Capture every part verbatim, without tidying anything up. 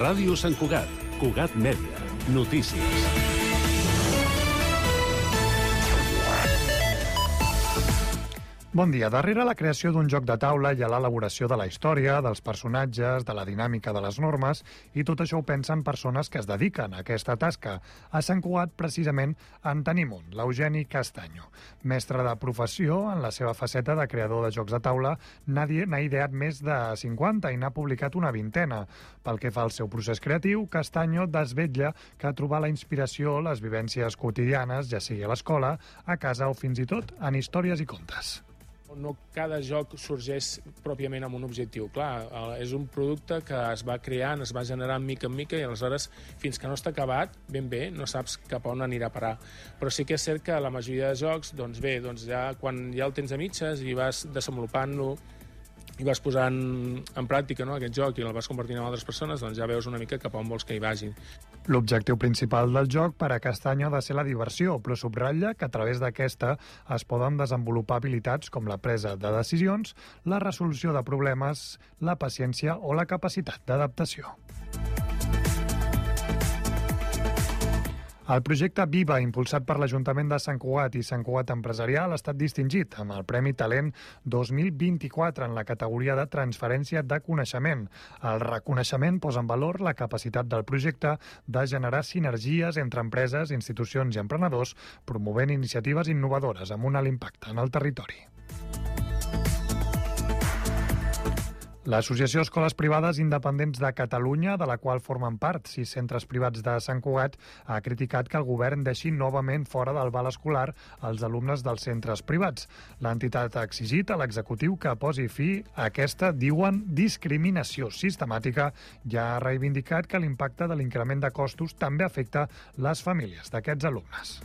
Ràdio Sant Cugat, Cugat Mèdia, notícies. Bon dia. Darrere la creació d'un joc de taula hi ha l'elaboració de la història, dels personatges, de la dinàmica de les normes, i tot això ho pensen persones que es dediquen a aquesta tasca. A Sant Cugat, precisament, en tenim un, l'Eugeni Castaño. Mestre de professió, en la seva faceta de creador de jocs de taula, n'ha ideat més de cinquanta i n'ha publicat una vintena. Pel que fa al seu procés creatiu, Castaño desvetlla que trobar la inspiració, les vivències quotidianes, ja sigui a l'escola, a casa o fins i tot en històries i contes. No cada joc sorgeix pròpiament amb un objectiu. Clar, és un producte que es va creant, es va generant mica en mica i aleshores, fins que no està acabat, ben bé, no saps cap a on anirà a parar. Però sí que és cert que la majoria de jocs, doncs bé, doncs ja, quan ja el tens a mitges i vas desenvolupant-lo i vas posant en pràctica, no, aquest joc i el vas compartint amb altres persones, doncs ja veus una mica cap a on vols que hi vagi. L'objectiu principal del joc per a Castaño ha de ser la diversió, però subratlla que a través d'aquesta es poden desenvolupar habilitats com la presa de decisions, la resolució de problemes, la paciència o la capacitat d'adaptació. El projecte Viva, impulsat per l'Ajuntament de Sant Cugat i Sant Cugat Empresarial, ha estat distingit amb el Premi Talent dos mil vint-i-quatre en la categoria de transferència de coneixement. El reconeixement posa en valor la capacitat del projecte de generar sinergies entre empreses, institucions i emprenedors, promovent iniciatives innovadores amb un alt impacte en el territori. L'Associació Escoles Privades Independents de Catalunya, de la qual formen part sis centres privats de Sant Cugat, ha criticat que el govern deixi novament fora del val escolar els alumnes dels centres privats. L'entitat ha exigit a l'executiu que posi fi a aquesta, diuen, discriminació sistemàtica i ha reivindicat que l'impacte de l'increment de costos també afecta les famílies d'aquests alumnes.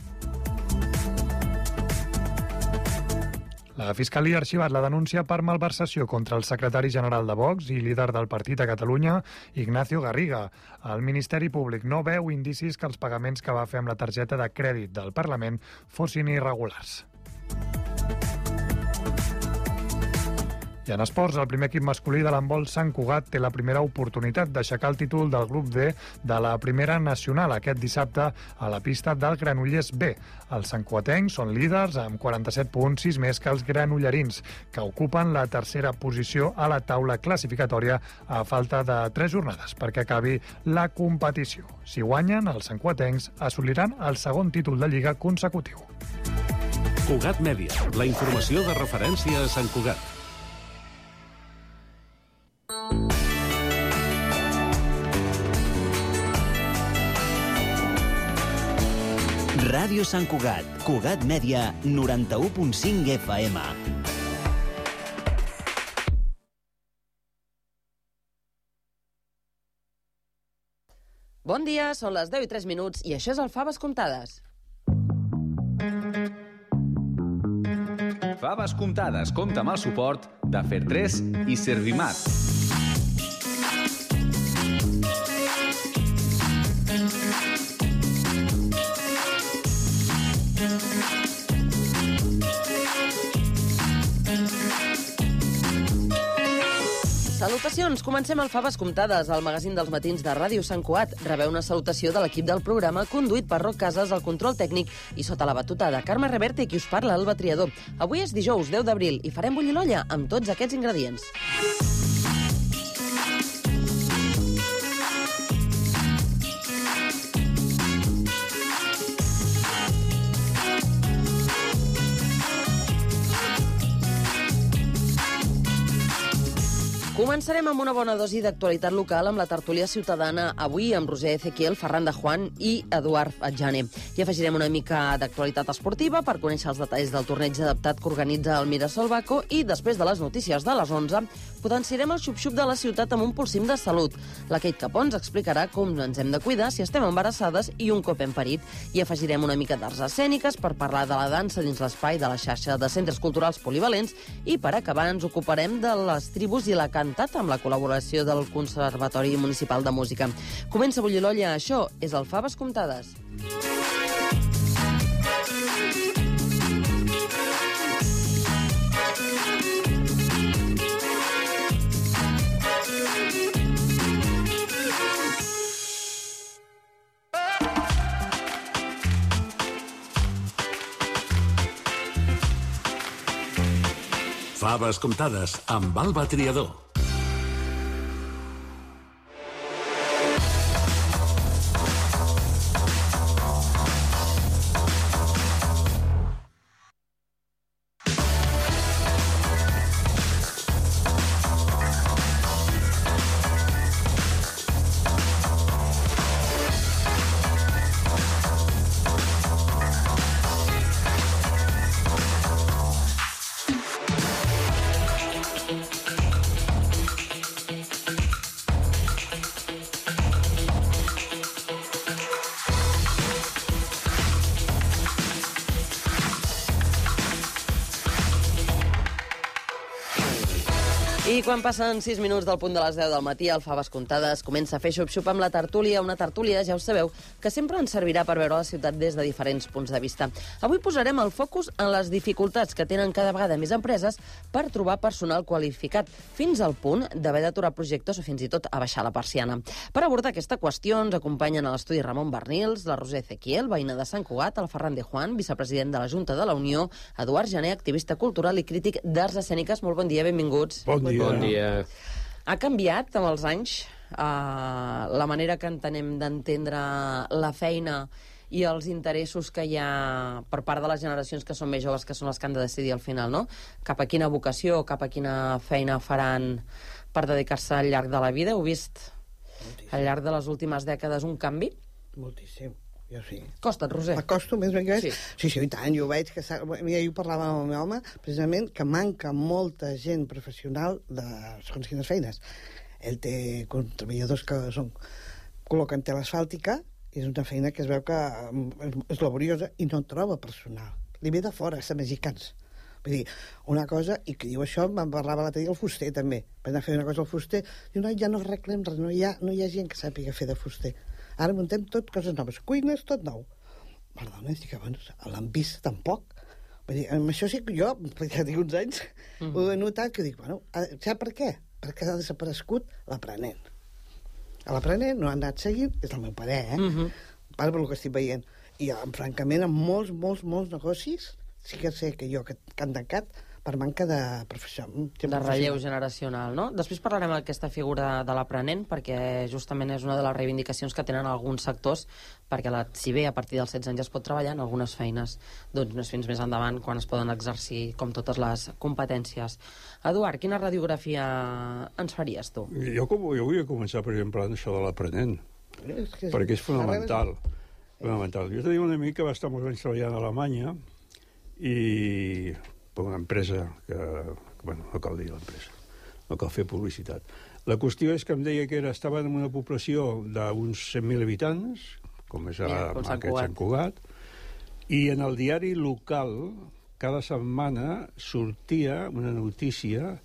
La Fiscalia ha arxivat la denúncia per malversació contra el secretari general de Vox i líder del partit a Catalunya, Ignacio Garriga. El Ministeri Públic no veu indicis que els pagaments que va fer amb la targeta de crèdit del Parlament fossin irregulars. I en esports, el primer equip masculí de l'handbol Sant Cugat té la primera oportunitat d'aixecar el títol del grup D de la primera nacional aquest dissabte a la pista del Granollers B. Els santcuatencs són líders amb quaranta-set punts, sis més que els granollerins, que ocupen la tercera posició a la taula classificatòria a falta de tres jornades perquè acabi la competició. Si guanyen, els santcuatencs assoliran el segon títol de Lliga consecutiu. Cugat Mèdia, la informació de referència a Sant Cugat. Ràdio Sant Cugat, Cugat Mèdia, noranta-u punt cinc F M. Bon dia, són les deu i tres minuts i això és el Faves Comptades. Faves Comptades compta amb el suport de Fer tres i Servimat. Salutacions! Comencem el Faves Comptades, el magazín dels matins de Ràdio Sant Cugat. Rebeu una salutació de l'equip del programa, conduït per Roc Casas, el control tècnic, i sota la batuta de Carme Reverte, qui us parla, Alba Triador. Avui és dijous, deu d'abril, i farem bullir l'olla amb tots aquests ingredients. Començarem amb una bona dosi d'actualitat local amb la tertúlia ciutadana, avui amb Roser Ezequiel, Ferran de Juan i Eduard Adjane. I afegirem una mica d'actualitat esportiva per conèixer els detalls del torneig adaptat que organitza el Mirasol Baco i després de les notícies de les onze potenciarem el xup-xup de la ciutat amb un pulsim de salut. La Kate Capó ens explicarà com ens hem de cuidar si estem embarassades i un cop hem parit. I afegirem una mica d'arts escèniques per parlar de la dansa dins l'espai de la xarxa de centres culturals polivalents i per acabar ens ocuparem de les tribus i la cantat amb la col·laboració del Conservatori Municipal de Música. Comença a bullir l'olla, això és el Faves Comptades. Faves comptades amb Alba Triador. I quan passen sis minuts del punt de les deu del matí, el Faves Comptades comença a fer xup-xup amb la tertúlia, una tertúlia, ja ho sabeu, que sempre ens servirà per veure la ciutat des de diferents punts de vista. Avui posarem el focus en les dificultats que tenen cada vegada més empreses per trobar personal qualificat, fins al punt d'haver d'aturar projectes o fins i tot a baixar la persiana. Per abordar aquesta qüestió ens acompanyen a l'estudi Ramon Bernils, la Roser Ezequiel, veïna de Sant Cugat, el Ferran de Juan, vicepresident de la Junta de la Unió, Eduard Jané, activista cultural i crític d'arts escèniques. Molt bon dia, benvinguts. Bon dia. Bon dia. Ha canviat amb els anys eh, la manera que entenem d'entendre la feina i els interessos que hi ha per part de les generacions que són més joves, que són les que han de decidir al final, no? Cap a quina vocació, cap a quina feina faran per dedicar-se al llarg de la vida. Heu vist Moltíssim. Al llarg de les últimes dècades un canvi? Moltíssim. Jo sí. Costa't, Roser. M'acosto més ben que Sí. sí, sí, i tant, jo ho veig que... Mira, jo parlava amb el meu home, precisament, que manca molta gent professional de segons quines feines. Ell té treballadors que són, col·loquen tela asfàltica, i és una feina que es veu que és laboriosa i no troba personal. Li ve de fora, és de mexicans. Vull dir, una cosa, i que diu això, me'n parlava l'altre dia el fuster, també. Per anar a fer una cosa al fuster, diu, no, ja no arreglem res, no hi ha, no hi ha gent que sàpiga fer de fuster. Ara muntem tot coses noves, cuines, tot nou. Perdona, dic, bueno, l'han vist tampoc. Vull dir, amb això sí que jo, perquè tinc uns anys, mm -hmm. ho he notat, que dic, bueno, sap per què? Perquè ha desaparegut l'aprenent. L'aprenent no ha anat seguint, és el meu parer, eh? Mm -hmm. Per el que estic veient. I, francament, en molts, molts, molts negocis, sí que sé que jo, que, que han tancat, per manca de professió. De relleu generacional, no? Després parlarem d'aquesta figura de l'aprenent, perquè justament és una de les reivindicacions que tenen alguns sectors, perquè la, si bé a partir dels setze anys es pot treballar en algunes feines, doncs no és fins més endavant quan es poden exercir com totes les competències. Eduard, quina radiografia ens faries tu? Jo, com, jo volia començar, per exemple, amb això de l'aprenent, És que, perquè és fonamental. fonamental. Jo tenia un amic que va estar molts anys treballant a Alemanya i... per una empresa que, que bueno, no cal dir l'empresa, no cal fer publicitat. La qüestió és que em deia que era, estava en una població d'uns cent mil habitants, com és ara ja, aquest Sant Cugat, i en el diari local cada setmana sortia una notícia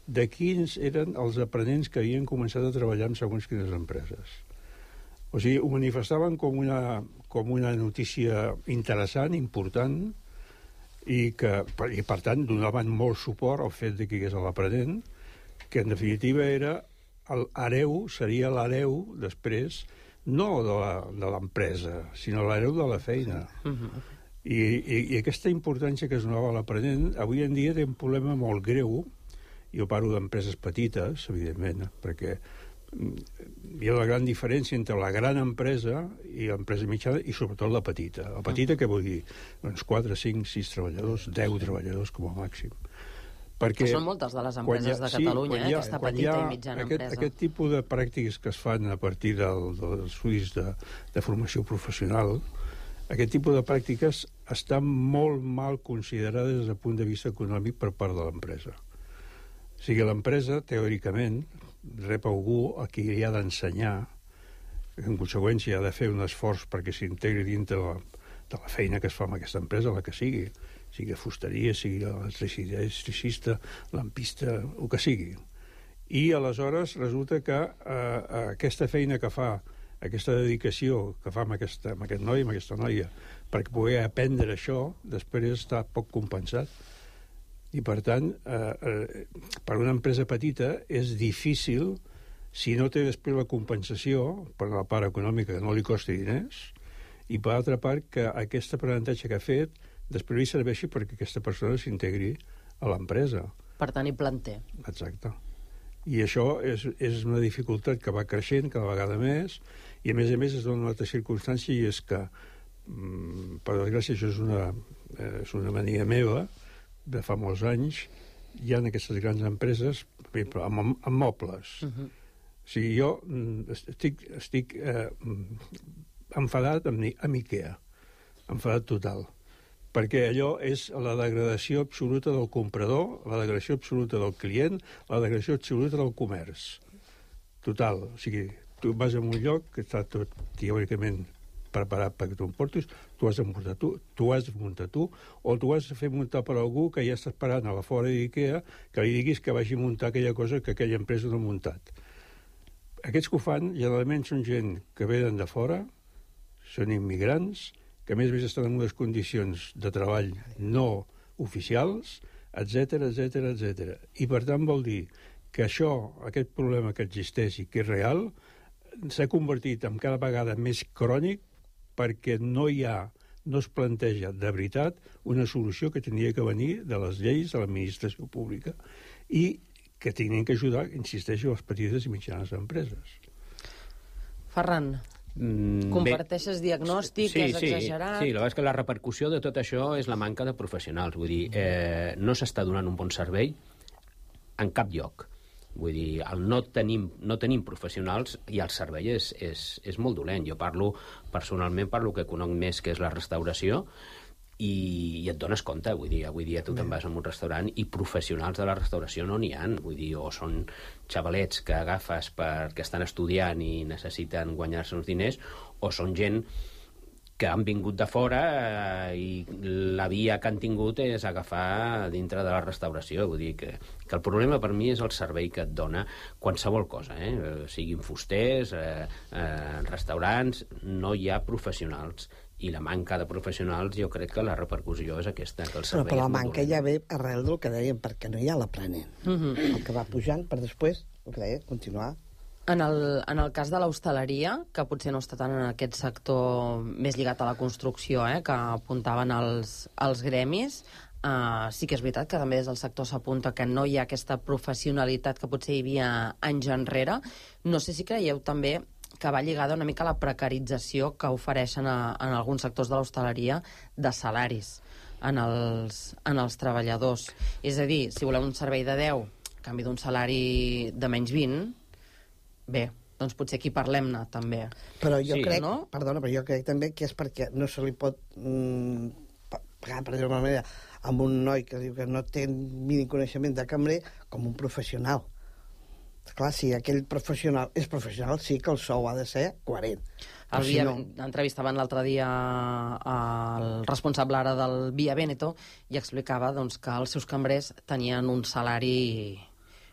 de quins eren els aprenents que havien començat a treballar en segons quines empreses. O sigui, ho manifestaven com una, com una notícia interessant, important, i que, i per tant, donaven molt suport al fet de que hi hagués l'aprenent, que en definitiva era l'hereu, seria l'hereu després, no de l'empresa, sinó l'hereu de la feina. Uh-huh. I, i, I aquesta importància que es donava a l'aprenent, avui en dia té un problema molt greu. Jo parlo d'empreses petites, evidentment, perquè hi ha una gran diferència entre la gran empresa i l'empresa mitjana i sobretot la petita. La petita, què vol dir? Doncs quatre, cinc, sis treballadors, deu treballadors com a màxim. Perquè que són moltes de les empreses ha, de Catalunya, sí, eh, ha, aquesta petita i mitjana aquest, empresa. Aquest tipus de pràctiques que es fan a partir del, dels estudis de, de formació professional, aquest tipus de pràctiques estan molt mal considerades des del punt de vista econòmic per part de l'empresa. O sigui, l'empresa, teòricament, rep algú a qui li ha d'ensenyar, en conseqüència ha de fer un esforç perquè s'integri dintre de la, de la feina que es fa amb aquesta empresa, la que sigui, sigui fusteria, sigui electricista, lampista, el que sigui. I aleshores resulta que eh, aquesta feina que fa, aquesta dedicació que fa amb, aquesta, amb aquest noi, amb aquesta noia, perquè poder aprendre això, després està poc compensat. I, per tant, eh, eh, per una empresa petita és difícil, si no té després la compensació, per la part econòmica, que no li costi diners, i per altra part, que aquest aprenentatge que ha fet després li serveixi perquè aquesta persona s'integri a l'empresa. Per tenir planter. Exacte. I això és, és una dificultat que va creixent cada vegada més, i a més a més es dona una altra circumstància, i és que, per desgràcia, això és una, és una mania meva de fa molts anys, hi ha aquestes grans empreses amb, amb mobles. Uh-huh. O sigui, jo estic, estic eh, enfadat amb, amb IKEA, enfadat total, perquè allò és la degradació absoluta del comprador, la degradació absoluta del client, la degradació absoluta del comerç. Total. O sigui, tu vas a un lloc que està tot teòricament preparat perquè tu em portis, tu has de muntar tu, tu has de muntar tu, o tu has de fer muntar per algú que ja està esperant a la fora d'IKEA que li diguis que vagi a muntar aquella cosa que aquella empresa no ha muntat. Aquests que ho fan, generalment són gent que venen de fora, són immigrants, que a més a més estan en unes condicions de treball no oficials, etcètera, etcètera, etcètera. I per tant vol dir que això, aquest problema que existeix i que és real, s'ha convertit en cada vegada més crònic perquè no hi ha, no es planteja de veritat una solució que tenia que venir de les lleis de l'administració pública i que tenien que ajudar, insisteixo, les petites i mitjanes empreses. Ferran, mm, comparteixes bé, diagnòstic, sí, és exagerat... Sí, sí, la veritat és que la repercussió de tot això és la manca de professionals. Vull dir, eh, no s'està donant un bon servei en cap lloc. Vull dir, el no tenim, no tenim professionals i el servei és, és, és molt dolent. Jo parlo, personalment, parlo que conec més que és la restauració i, i et dones compte, vull dir, avui dia tu te'n vas a un restaurant i professionals de la restauració no n'hi ha, vull dir, o són xavalets que agafes perquè estan estudiant i necessiten guanyar-se uns diners, o són gent que han vingut de fora eh, i la via que han tingut és agafar dintre de la restauració. Vull dir que, que el problema per mi és el servei que et dona qualsevol cosa, eh? Siguin fusters, eh, eh, restaurants, no hi ha professionals. I la manca de professionals, jo crec que la repercussió és aquesta, que el servei però, però la és molt manca dolent. ja ve arrel del que dèiem, perquè no hi ha l'aprenent. Uh-huh. El que va pujant per després, el que deia, continuar. En el, en el cas de l'hostaleria, que potser no està tant en aquest sector més lligat a la construcció, eh, que apuntaven els, els gremis, eh, sí que és veritat que també des del sector s'apunta que no hi ha aquesta professionalitat que potser hi havia anys enrere. No sé si creieu també que va lligada una mica a la precarització que ofereixen a, en alguns sectors de l'hostaleria de salaris en els, en els treballadors. És a dir, si voleu un servei de deu a canvi d'un salari de menys vint, bé, doncs potser aquí parlem-ne, també. Però jo sí, crec, no? perdona, però jo crec també que és perquè no se li pot mm, pagar, per dir-ho d'una manera, amb un noi que diu que no té mínim coneixement de cambrer com un professional. Clar, si aquell professional és professional, sí que el sou ha de ser coherent. El si Via, no... Entrevistaven l'altre dia el responsable ara del Via Veneto i explicava doncs, que els seus cambrers tenien un salari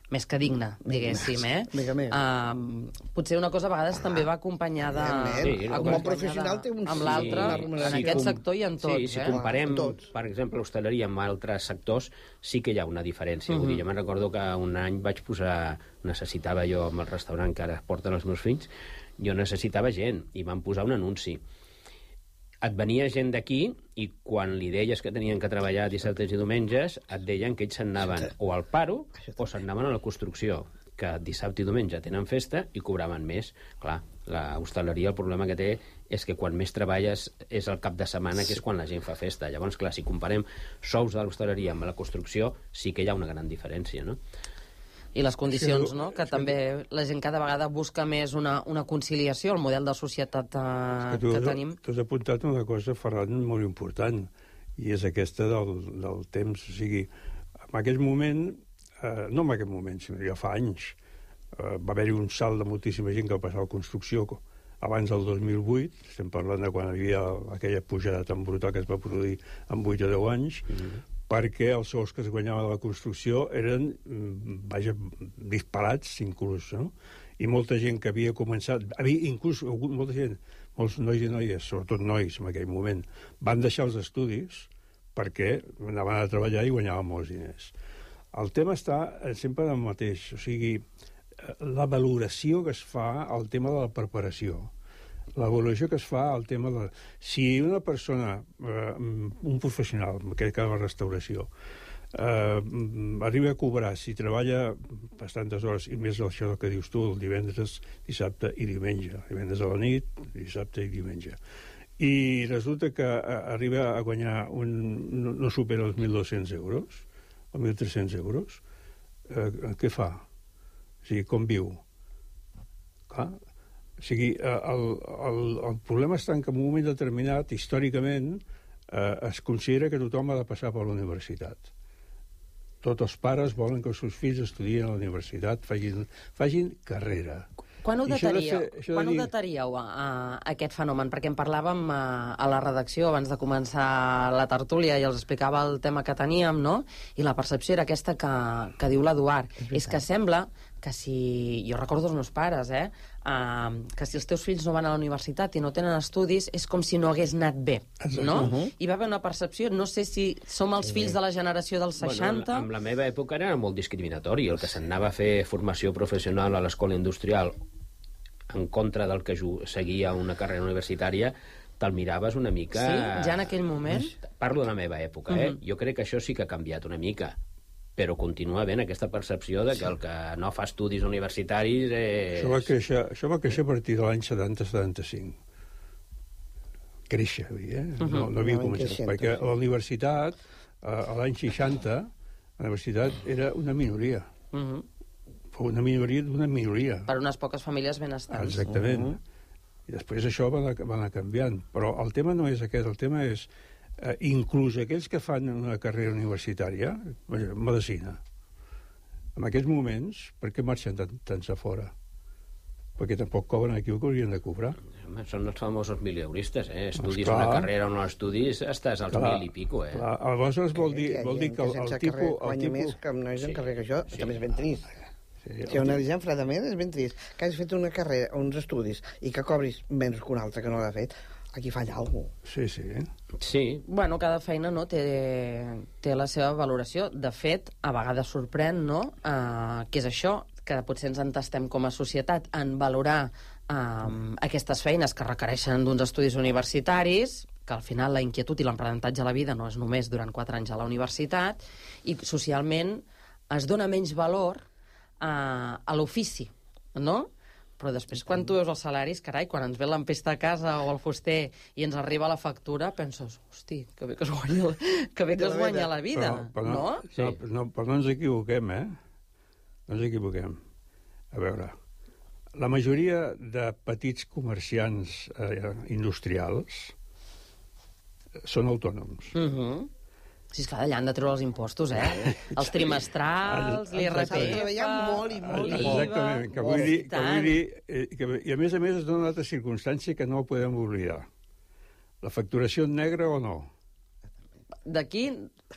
més que digne, diguéssim, eh? Mega més. Uh, potser una cosa a vegades ah, també va acompanyada... Sí, com a professional té un... Amb l'altre, sí, en sí, aquest com, sector i en tots, sí, si eh? comparem, tots. Per exemple, l'hostaleria amb altres sectors, sí que hi ha una diferència. Uh -huh. Vull dir, jo me'n recordo que un any vaig posar... Necessitava jo, amb el restaurant que ara porten els meus fills, jo necessitava gent, i van posar un anunci. Et venia gent d'aquí i quan li deies que tenien que treballar dissabtes i diumenges, et deien que ells se'n anaven o al paro o se'n anaven a la construcció, que dissabte i diumenge tenen festa i cobraven més. Clar, la hostaleria el problema que té és que quan més treballes és el cap de setmana, que és quan la gent fa festa. Llavors, clar, si comparem sous de l'hostaleria amb la construcció, sí que hi ha una gran diferència, no? I les condicions, no? Que també la gent cada vegada busca més una, una conciliació, el model de societat eh, que, tu, que tenim. Tu has apuntat una cosa, Ferran, molt important, i és aquesta del, del temps. O sigui, en aquest moment, eh, no en aquest moment, sinó ja fa anys, eh, va haver-hi un salt de moltíssima gent que va passar a la construcció abans del dos mil vuit, estem parlant de quan hi havia aquella pujada tan brutal que es va produir en vuit o deu anys, mm-hmm. perquè els sous que es guanyaven de la construcció eren, vaja, disparats inclús, no? I molta gent que havia començat, havia inclús molta gent, molts nois i noies, sobretot nois en aquell moment, van deixar els estudis perquè anaven a treballar i guanyaven molts diners. El tema està sempre en el mateix, o sigui, la valoració que es fa al tema de la preparació, la valoració que es fa al tema de... Si una persona, eh, un professional, en aquest cas la restauració, eh, arriba a cobrar, si treballa bastantes hores, i més això que dius tu, el divendres, dissabte i diumenge, divendres a la nit, dissabte i diumenge. I resulta que arriba a guanyar un, no, no supera els mil dos-cents euros, o mil tres-cents euros, eh, què fa? O sigui, com viu? Clar, o sigui, el, el, el problema està en que en un moment determinat, històricament, eh, es considera que tothom ha de passar per la universitat. Tots els pares volen que els seus fills estudien a la universitat, facin, facin carrera. Quan ho dataríeu, de fer, quan de dir... ho dataríeu a, a, a aquest fenomen? Perquè en parlàvem a, a la redacció abans de començar la tertúlia i els explicava el tema que teníem, no? I la percepció era aquesta que, que diu l'Eduard. És, és que sembla que si... Jo recordo els meus pares, eh? Uh, que si els teus fills no van a la universitat i no tenen estudis, és com si no hagués anat bé, no? Uh -huh. Hi va haver una percepció, no sé si som els fills de la generació dels seixanta... Bueno, en la meva època era molt discriminatori. El que s'anava a fer formació professional a l'escola industrial en contra del que seguia una carrera universitària, te'l miraves una mica... Sí? Ja en aquell moment? Parlo de la meva època, eh? Uh -huh. Jo crec que això sí que ha canviat una mica, però continua havent aquesta percepció de que el que no fa estudis universitaris és... Això va créixer, això va créixer a partir de l'any setanta setanta-cinc. Créixer, eh? Uh -huh. No, no havia començat, perquè la universitat, a l'any seixanta, la universitat era una minoria. Uh -huh. Una minoria d'una minoria. Per unes poques famílies benestants. Exactament. Uh -huh. I després això va anar, va anar canviant. Però el tema no és aquest, el tema és eh, inclús aquells que fan una carrera universitària, medicina, en aquests moments, per què marxen tant, tants a fora? Perquè tampoc cobren aquí el que haurien de cobrar. Home, són els famosos mileuristes, eh? Estudis doncs, una carrera o no estudis, estàs als clar, mil i pico, eh? Clar. Aleshores vol dir, vol dir que el, el tipus... Guanya tipus... més que no és en sí, carrera que jo, sí. També és ben trist. Sí, si ho analitzem fredament és ben trist. Que hagis fet una carrera, uns estudis, i que cobris menys que un altre que no l'ha fet, aquí falla alguna cosa. Sí, sí. Sí. Bueno, cada feina no té, té la seva valoració. De fet, a vegades sorprèn, no?, uh, que és això, que potser ens entestem com a societat en valorar uh, aquestes feines que requereixen d'uns estudis universitaris, que al final la inquietud i l'aprenentatge a la vida no és només durant quatre anys a la universitat, i socialment es dona menys valor a, a l'ofici, no? Però després, quan tu veus els salaris, carai, quan ens ve l'empesta a casa o el fuster i ens arriba la factura, penses, hosti, que bé que es guanya, que bé que es guanya la vida, però, però no? No? Sí. No, no? Però no ens equivoquem, eh? No ens equivoquem. A veure, la majoria de petits comerciants eh, industrials són autònoms. Mhm. Uh-huh. Sí, esclar, allà han de treure els impostos, eh? Els trimestrals, l'I R P F... S'ha de treballar molt i molt. Exactament, que vull dir... Que vull dir eh, que, I a més a més es dona una altra circumstància que no podem oblidar. La facturació en negre o no? D'aquí...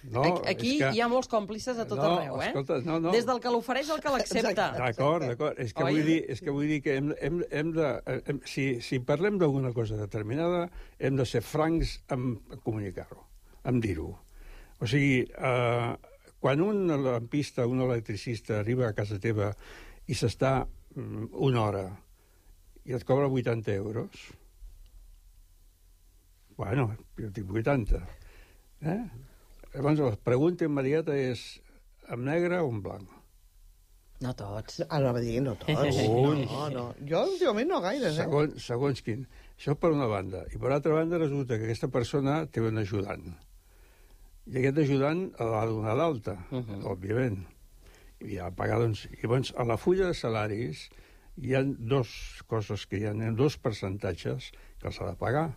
No, aquí que... hi ha molts còmplices a tot no, arreu, eh? Escolta, no, no. Des del que l'ofereix al que l'accepta. D'acord, d'acord. És que Oi? vull dir, és que vull dir que hem, hem, hem de... Hem, si, si parlem d'alguna cosa determinada, hem de ser francs en comunicar-ho, en dir-ho. O sigui, eh, quan un lampista, un electricista arriba a casa teva i s'està mm, una hora i et cobra vuitanta euros, bueno, jo tinc vuitanta. Eh? Llavors, la pregunta immediata és en negre o en blanc? No tots. Ara va dir no tots. No, no. Jo últimament no gaires, eh? Segons, segons quin. Això per una banda. I per altra banda resulta que aquesta persona té un ajudant. I aquest ajudant l'ha de donar d'alta, uh -huh. òbviament. I ha de pagar, doncs... I llavors, a la fulla de salaris hi ha dos coses que hi ha, dos percentatges que els ha de pagar.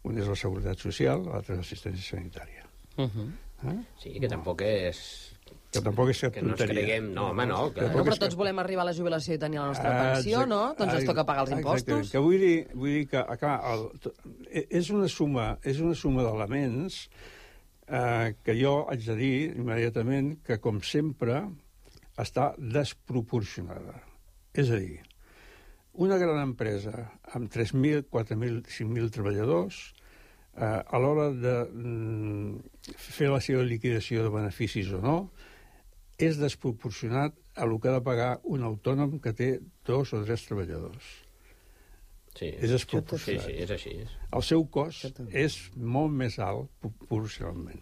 Un és la Seguretat Social, l'altre és l'assistència sanitària. Uh -huh. eh? Sí, que tampoc és... Que tampoc és cap que no ens creguem... No, home, no. Que... No, però tots volem arribar a la jubilació i tenir la nostra pensió, Exacte. no? Doncs ens toca pagar els impostos. Exactament. Que vull dir, vull dir que, clar, el, és una suma, és una suma d'elements eh, que jo haig de dir immediatament que, com sempre, està desproporcionada. És a dir, una gran empresa amb tres mil, quatre mil, cinc mil treballadors, eh, a l'hora de mm, fer la seva liquidació de beneficis o no, és desproporcionat a el que ha de pagar un autònom que té dos o tres treballadors. Sí, és desproporcionat. Sí, sí, és així. El seu cost és molt més alt proporcionalment.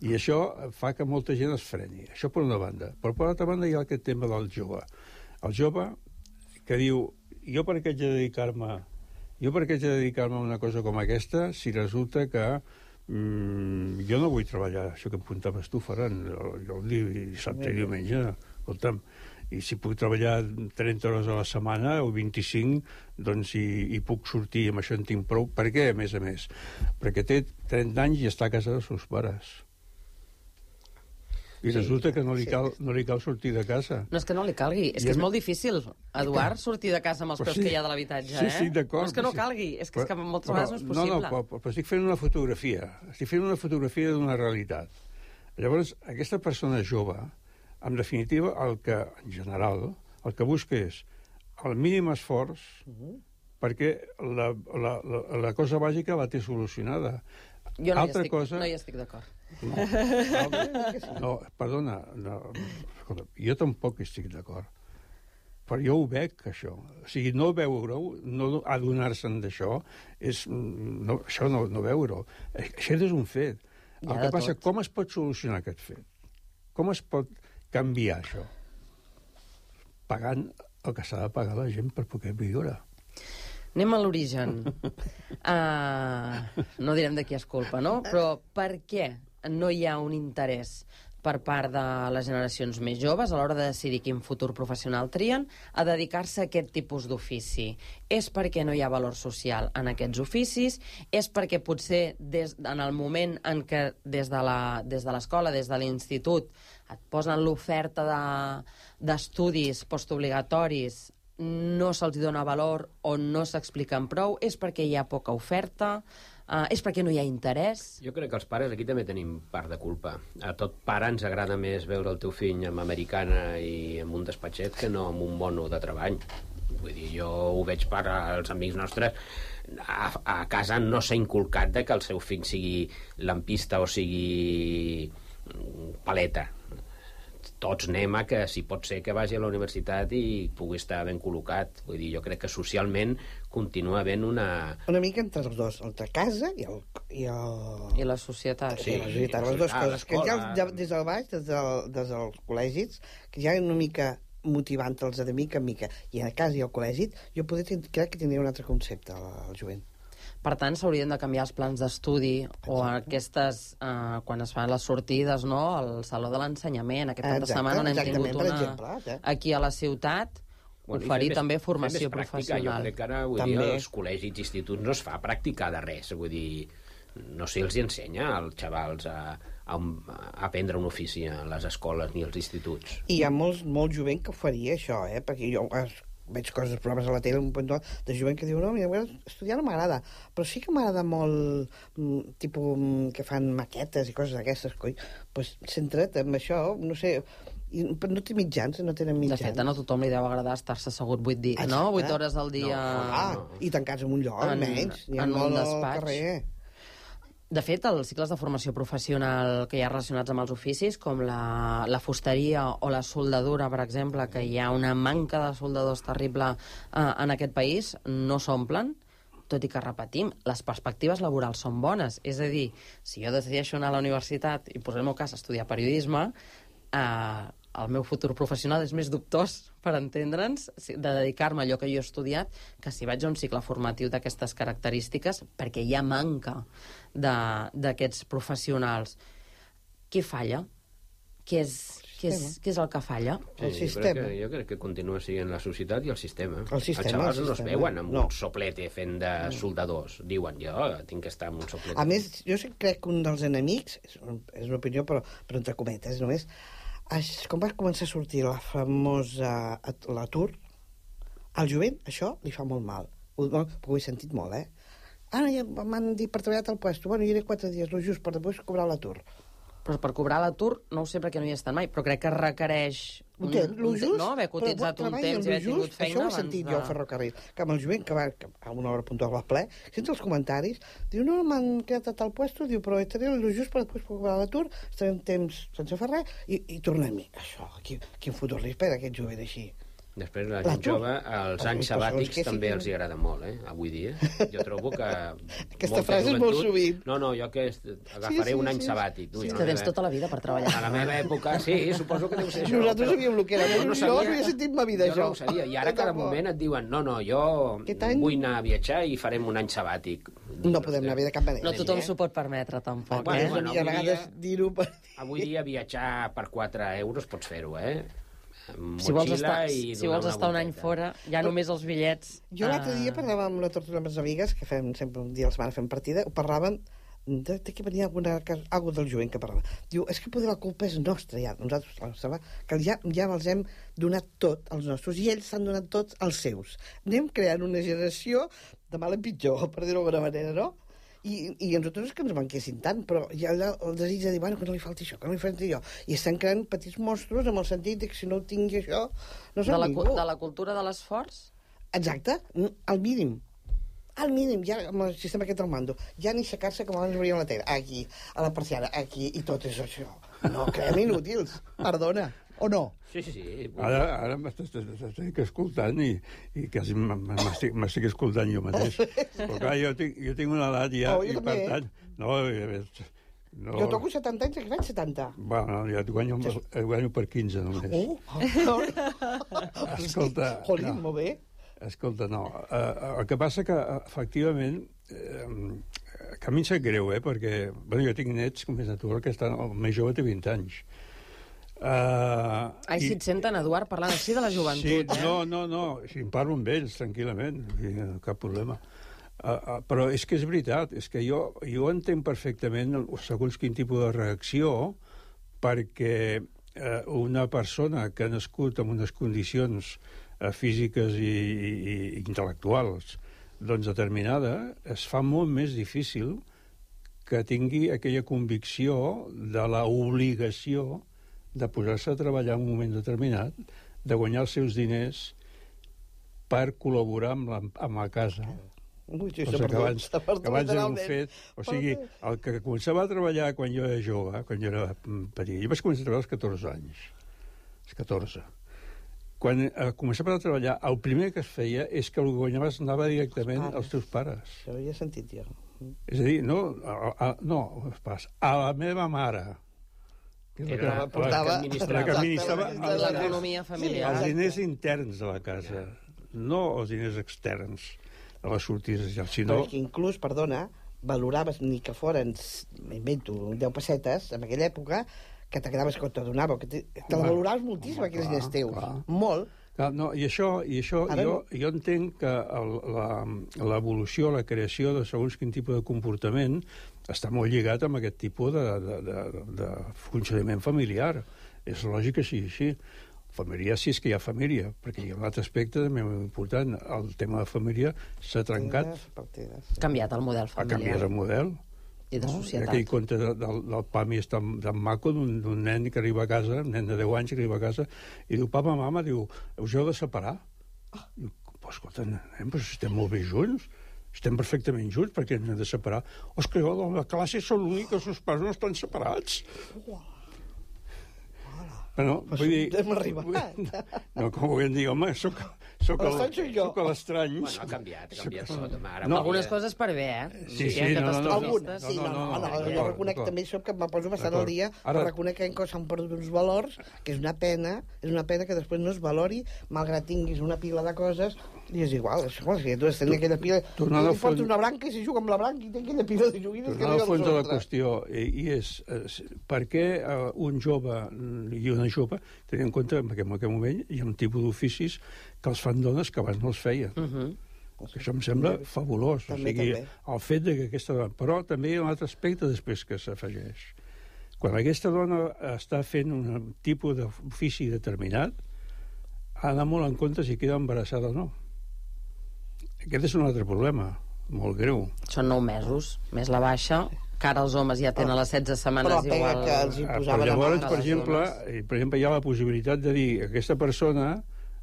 I això fa que molta gent es freni. Això per una banda. Però per l'altra banda hi ha aquest tema del jove. El jove que diu, jo per què haig de dedicar-me jo per què haig de dedicar-me a una cosa com aquesta si resulta que mm, jo no vull treballar, això que apuntaves tu, Ferran, jo, jo el dissabte i diumenge, escolta'm, i si puc treballar trenta hores a la setmana o vint-i-cinc, doncs i, i puc sortir, amb això en tinc prou. Per què, a més a més? Perquè té trenta anys i està a casa dels seus pares. I resulta que no li, cal, no li cal sortir de casa. No és que no li calgui, és que és molt difícil, Eduard, sortir de casa amb els peus sí, que hi ha de l'habitatge, sí, eh? Sí, d'acord. No és que no calgui, és que, és que moltes però, vegades no és possible. No, no, però, però estic fent una fotografia. Estic fent una fotografia d'una realitat. Llavors, aquesta persona jove, en definitiva, el que, en general, el que busca és el mínim esforç uh-huh. perquè la, la, la, la cosa bàsica la té solucionada. Jo no, Altra hi, estic, cosa... no hi estic d'acord. No, no, perdona, no, escolta, jo tampoc estic d'acord. Però jo ho veig, això. O sigui, no veure-ho, no adonar-se'n d'això, és, no, això no, no veure-ho. Això és un fet. El que passa, tot. Com es pot solucionar aquest fet? Com es pot canviar això? Pagant el que s'ha de pagar la gent per poder viure. Anem a l'origen. Uh, no direm de qui és culpa, no? Però per què no hi ha un interès per part de les generacions més joves a l'hora de decidir quin futur professional trien a dedicar-se a aquest tipus d'ofici? És perquè no hi ha valor social en aquests oficis? És perquè potser des, en el moment en què des de la, des de l'escola, des de l'institut, et posen l'oferta de, d'estudis postobligatoris, no se'ls dona valor o no s'expliquen prou? És perquè hi ha poca oferta? Uh, és perquè no hi ha interès? Jo crec que els pares aquí també tenim part de culpa. A tot pare ens agrada més veure el teu fill amb americana i amb un despatxet que no amb un mono de treball. Vull dir, jo ho veig per als amics nostres. A, a casa no s'ha inculcat de que el seu fill sigui lampista o sigui paleta. Tots anem a que, si pot ser, que vagi a la universitat i pugui estar ben col·locat. Vull dir, jo crec que socialment continua havent una... Una mica entre els dos, entre casa i el... I, el... I la societat. Sí, la societat, les dues coses. Que ja, ja des del baix, des, del, des dels col·legis, que ja una mica motivant-los de mica en mica. I a casa i al col·legi, jo poder, crec que tindria un altre concepte, al jovent. Per tant, s'haurien de canviar els plans d'estudi o aquestes, eh, quan es fan les sortides, no?, al Saló de l'Ensenyament. Aquest cap de setmana n'hem tingut una exemple, aquí a la ciutat, bueno, oferir més, també formació professional. Jo crec que ara, vull dir, als col·legis i instituts no es fa practicar de res. Vull dir, no sé, els ensenya als xavals a, a, a aprendre un ofici a les escoles ni als instituts. I hi ha molts, molt jovent que ho faria, això, eh?, perquè jo... veig coses, programes a la tele, un punt de jovent que diu, no, mira, estudiar no m'agrada, però sí que m'agrada molt, tipus, que fan maquetes i coses d'aquestes, coi, doncs centra't en això, no sé, i, però no té mitjans, no tenen mitjans. De fet, a no tothom li deu agradar estar-se assegut vuit dies, no? Vuit hores al dia... No, ah, no. I tancats en un lloc, en, menys, ni en un despatx. Carrer. De fet, els cicles de formació professional que hi ha relacionats amb els oficis, com la, la fusteria o la soldadura, per exemple, que hi ha una manca de soldadors terrible eh, en aquest país, no s'omplen, tot i que, repetim, les perspectives laborals són bones. És a dir, si jo decideixo anar a la universitat i posar el meu cas a estudiar periodisme, eh, el meu futur professional és més dubtós, per entendre'ns, de dedicar-me a allò que jo he estudiat, que si vaig a un cicle formatiu d'aquestes característiques, perquè hi ha manca d'aquests professionals. Què falla? Què és, què és, què és el que falla? Sí, el sistema. Jo crec, que, jo crec que continua sent la societat i el sistema. El sistema, Els xavals el no es sistema. veuen amb no. un soplete fent de soldadors. Diuen, jo tinc que estar amb un soplete. A més, jo crec que un dels enemics, és, un, és una opinió, però, però entre cometes, només, com va començar a sortir la famosa l'atur, al jovent això li fa molt mal. Ho, ho he sentit molt, eh? Ara ja m'han dit per treballar al puesto. Bueno, jo iré quatre dies, no just per després cobrar l'atur. Però per cobrar l'atur, no ho sé perquè no hi estan mai, però crec que requereix un, un temps, un, just, no? haver cotitzat un temps i haver tingut feina. Això ho he sentit de... jo al ferrocarril, que amb el jovent que va que a una hora puntual al ple, sents els comentaris, diu, no, m'han quedat a tal puesto, diu, però estaré el just per després cobrar l'atur, estaré un temps sense fer res, i, i tornem-hi. Això, quin, quin futur li espera aquest jovent així? Després, la L'atur. gent jove, els anys Els sabàtics que també siguin. els hi agrada molt, eh? Avui dia. Jo trobo que... Aquesta frase és molt sovint. No, no, jo que est- agafaré Sí, sí, un any sí. sabàtic. No, Sí, jo que no tens sé. tota la vida per treballar. A la meva època, sí, suposo que deu ser això. Nosaltres però sabíem el que era. jo Jo no havia sentit ma vida, jo això. no ho sabia, i ara Jo cada tampoc. moment et diuen no, no, jo Aquest any- vull anar a viatjar i farem un any sabàtic. No podem anar bé de cap manera. No tothom eh? s'ho pot permetre, tampoc, Bueno, eh? bueno, I a avui vegades dia- dir-ho per... Avui dia viatjar per quatre euros pots fer-ho, eh? Amb Si vols motxilla estar, i si donar vols una estar un any volteta. fora, ja només els bitllets... Jo l'altre dia eh, parlava amb la Tortura amb les amigues, que fem sempre un dia a la setmana fem partida, ho parlàvem de, de que venia alguna cosa, algo del jovent que parlava. Diu, és que poder la culpa és nostra, ja. Nosaltres, la nostra, que ja, ja els hem donat tot, els nostres, i ells s'han donat tots els seus. Anem creant una generació de mal en pitjor, per dir-ho d'alguna manera, no? I, i a nosaltres és que ens manquessin tant, però hi ha el, el desig de dir, bueno, que no li falti això, que no li falti allò. I estan creant petits monstruos amb el sentit de que si no ho tingui això, no de, som la, ningú. cu- de la cultura de l'esforç? Exacte, al mínim. Al mínim, ja amb el sistema aquest del mando. Ja ni aixecar-se com abans veuríem la tele. Aquí, a la persiana, aquí, i tot és això. No, creiem inútils. Perdona. O no? Sí, sí, sí. Ara, ara m'estic escoltant i, i quasi m- m- m'estic m'estic escoltant jo mateix. Però clar, jo tinc, jo tinc una edat ja, Oh, jo i també. per tant... No, eh, no, Jo toco setanta anys, que faig setanta. Bueno, ja et guanyo, et guanyo per quinze només. Oh, oh. Escolta, Jolín, no. molt bé. Escolta, no. Uh, el que passa que, uh, efectivament, eh, que a mi em sap greu, eh, perquè bueno, jo tinc nets, com és natural, que estan, el més jove té vint anys. Uh, Ai, si et senten, Eduard, parlant així de la joventut, sí, eh? no, no, no, si em parlo amb ells, tranquil·lament, i, uh, cap problema. Uh, uh, però és que és veritat, és que jo, jo entenc perfectament el- segons quin tipus de reacció, perquè uh, una persona que ha nascut en unes condicions uh, físiques i, i, i intel·lectuals doncs determinada, es fa molt més difícil que tingui aquella convicció de la obligació de posar-se a treballar en un moment determinat, de guanyar els seus diners per col·laborar amb la, amb la casa. Ui, sí, Cosa s'ha que perdut, abans, s'ha perdut que abans era un literalment. fet... O sigui, el que començava a treballar quan jo era jove, quan jo era petit, jo vaig començar a treballar als catorze anys. Als catorze. Quan eh, començava a treballar, el primer que es feia és que el que guanyaves anava directament als teus pares. Això ho havia sentit jo. És a dir, no, a, a, no als pares, a la meva mare. Que és la Era que- la portava- la que administrava Exacte, els l'economia familiar. els diners interns de la casa, no els diners externs de les sortides, Però sinó... és que inclús, perdona, valoraves ni que foren, m'invento, deu pessetes, en aquella època, que t'agradaves que te donava, que te, te la Home, valoraves moltíssim, home, aquells clar, diners teus. clar. Molt. Clar, no, i això, i això Ara jo, no. jo entenc que el, la, l'evolució, la creació de segons quin tipus de comportament està molt lligat amb aquest tipus de, de, de, de funcionament familiar. És lògic que sigui així. Família, sí, és que hi ha família, perquè hi ha un altre aspecte també molt important. El tema de família s'ha trencat, Partides. Ha canviat el model ha familiar. canviat el model. I de No? societat. Aquell conte de, del, del Pami és tan, tan maco d'un d'un nen que arriba a casa, un nen de deu anys que arriba a casa, i diu, papa, mama, diu, us heu de separar? Ah. Diu, pues, escolta, nen, pues estem molt bé junts, estem perfectament junts, perquè ens hem de separar. O és que jo, la classe són l'únic que els seus pares no estan separats. Bueno, Pues vull dir... hem arribat. No, com ho vull dir, home, soc, soc, L'estrany soc jo. soc l'estrany. Bueno, ha canviat, ha canviat tot. home, Ara No. Algunes coses per bé, eh? Sí, sí, Hi ha no, no, no. Algunes, sí, no, no, no, no, d'acord, jo reconec d'acord. també això que me poso bastant D'acord. al dia, Ara- però reconec que en s'han perdut uns valors, que és una pena, és una pena que després no es valori, malgrat tinguis una pila de coses, i és igual, és igual, si tu has tenir aquella pila, tornant i al li porta fons- una branca i si juga amb la branca i té aquella pila de joguines que Tornant no al fons de la altra. qüestió, i, i és eh, per què eh, un jove i una jove, tenint en compte que en aquell moment hi ha un tipus d'oficis que els fan dones que abans no els feien. Uh -huh. Que això em sembla fabulós. També, o sigui, també. el fet de que aquesta dona... Però també hi ha un altre aspecte després que s'afegeix. Quan aquesta dona està fent un tipus d'ofici determinat, ha d'anar molt en compte si queda embarassada o no. Aquest és un altre problema, molt greu. Són nou mesos, més la baixa, que ara els homes ja tenen les setze setmanes Però la pega igual... que els hi Ah, posaven però llavors, a mà per les exemple, dones. eh, per exemple, hi ha la possibilitat de dir aquesta persona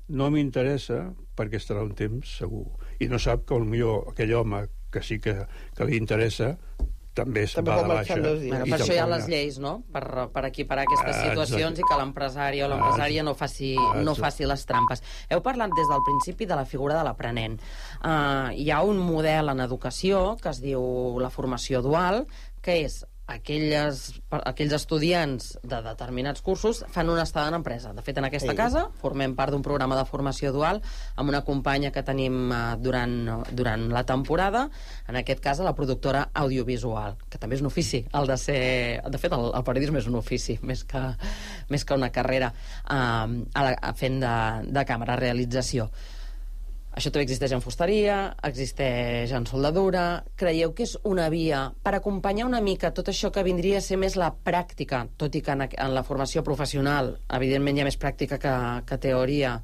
no m'interessa perquè estarà un temps segur. I no sap que potser aquell home que sí que, que li interessa també, també va de marxar baixa. dos dies. Bueno, per això hi ha les lleis, no? Per, per equiparar aquestes Ah, situacions exacte. i que l'empresari o l'empresària no, faci, no faci les trampes. Heu parlat des del principi de la figura de l'aprenent. Uh, hi ha un model en educació que es diu la formació dual, que és aquelles, aquells estudiants de determinats cursos fan una estada en empresa. De fet, en aquesta Ei. casa formem part d'un programa de formació dual amb una companya que tenim uh, durant, durant la temporada, en aquest cas a la productora audiovisual, que també és un ofici, el de ser... De fet, el, el periodisme és un ofici, més que, més que una carrera, uh, a la, a fent de, de càmera, realització. Això també existeix en fusteria, existeix en soldadura. Creieu que és una via per acompanyar una mica tot això que vindria a ser més la pràctica, tot i que en, en la formació professional, evidentment hi ha més pràctica que, que teoria,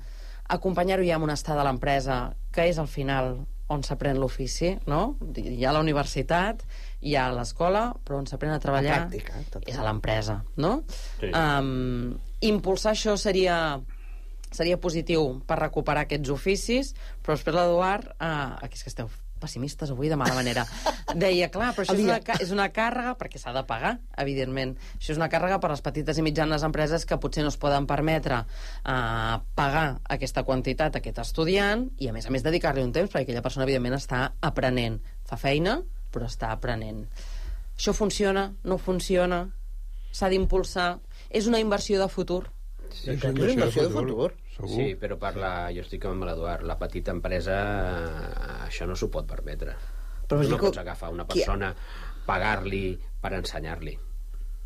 acompanyar-ho ja amb una estada a l'empresa, que és al final on s'aprèn l'ofici, no? Hi ha la universitat, hi ha l'escola, però on s'aprèn a treballar La pràctica, tot. és a l'empresa, no? Sí. Um, impulsar això seria... seria positiu per recuperar aquests oficis, però després l'Eduard, eh, aquí és que esteu pessimistes avui de mala manera, deia, clar, però això és una, és una càrrega, perquè s'ha de pagar, evidentment. Això és una càrrega per les petites i mitjanes empreses que potser no es poden permetre eh, pagar aquesta quantitat a aquest estudiant i, a més a més, dedicar-li un temps, perquè aquella persona, evidentment, està aprenent. Fa feina, però està aprenent. Això funciona? No funciona? S'ha d'impulsar? És una inversió de futur? Sí, és una inversió de futur. Segur. Sí, però per la, jo estic amb l'Eduard, la petita empresa eh, això no s'ho pot permetre. Però Tu no dic- pots agafar una persona, pagar-li per ensenyar-li.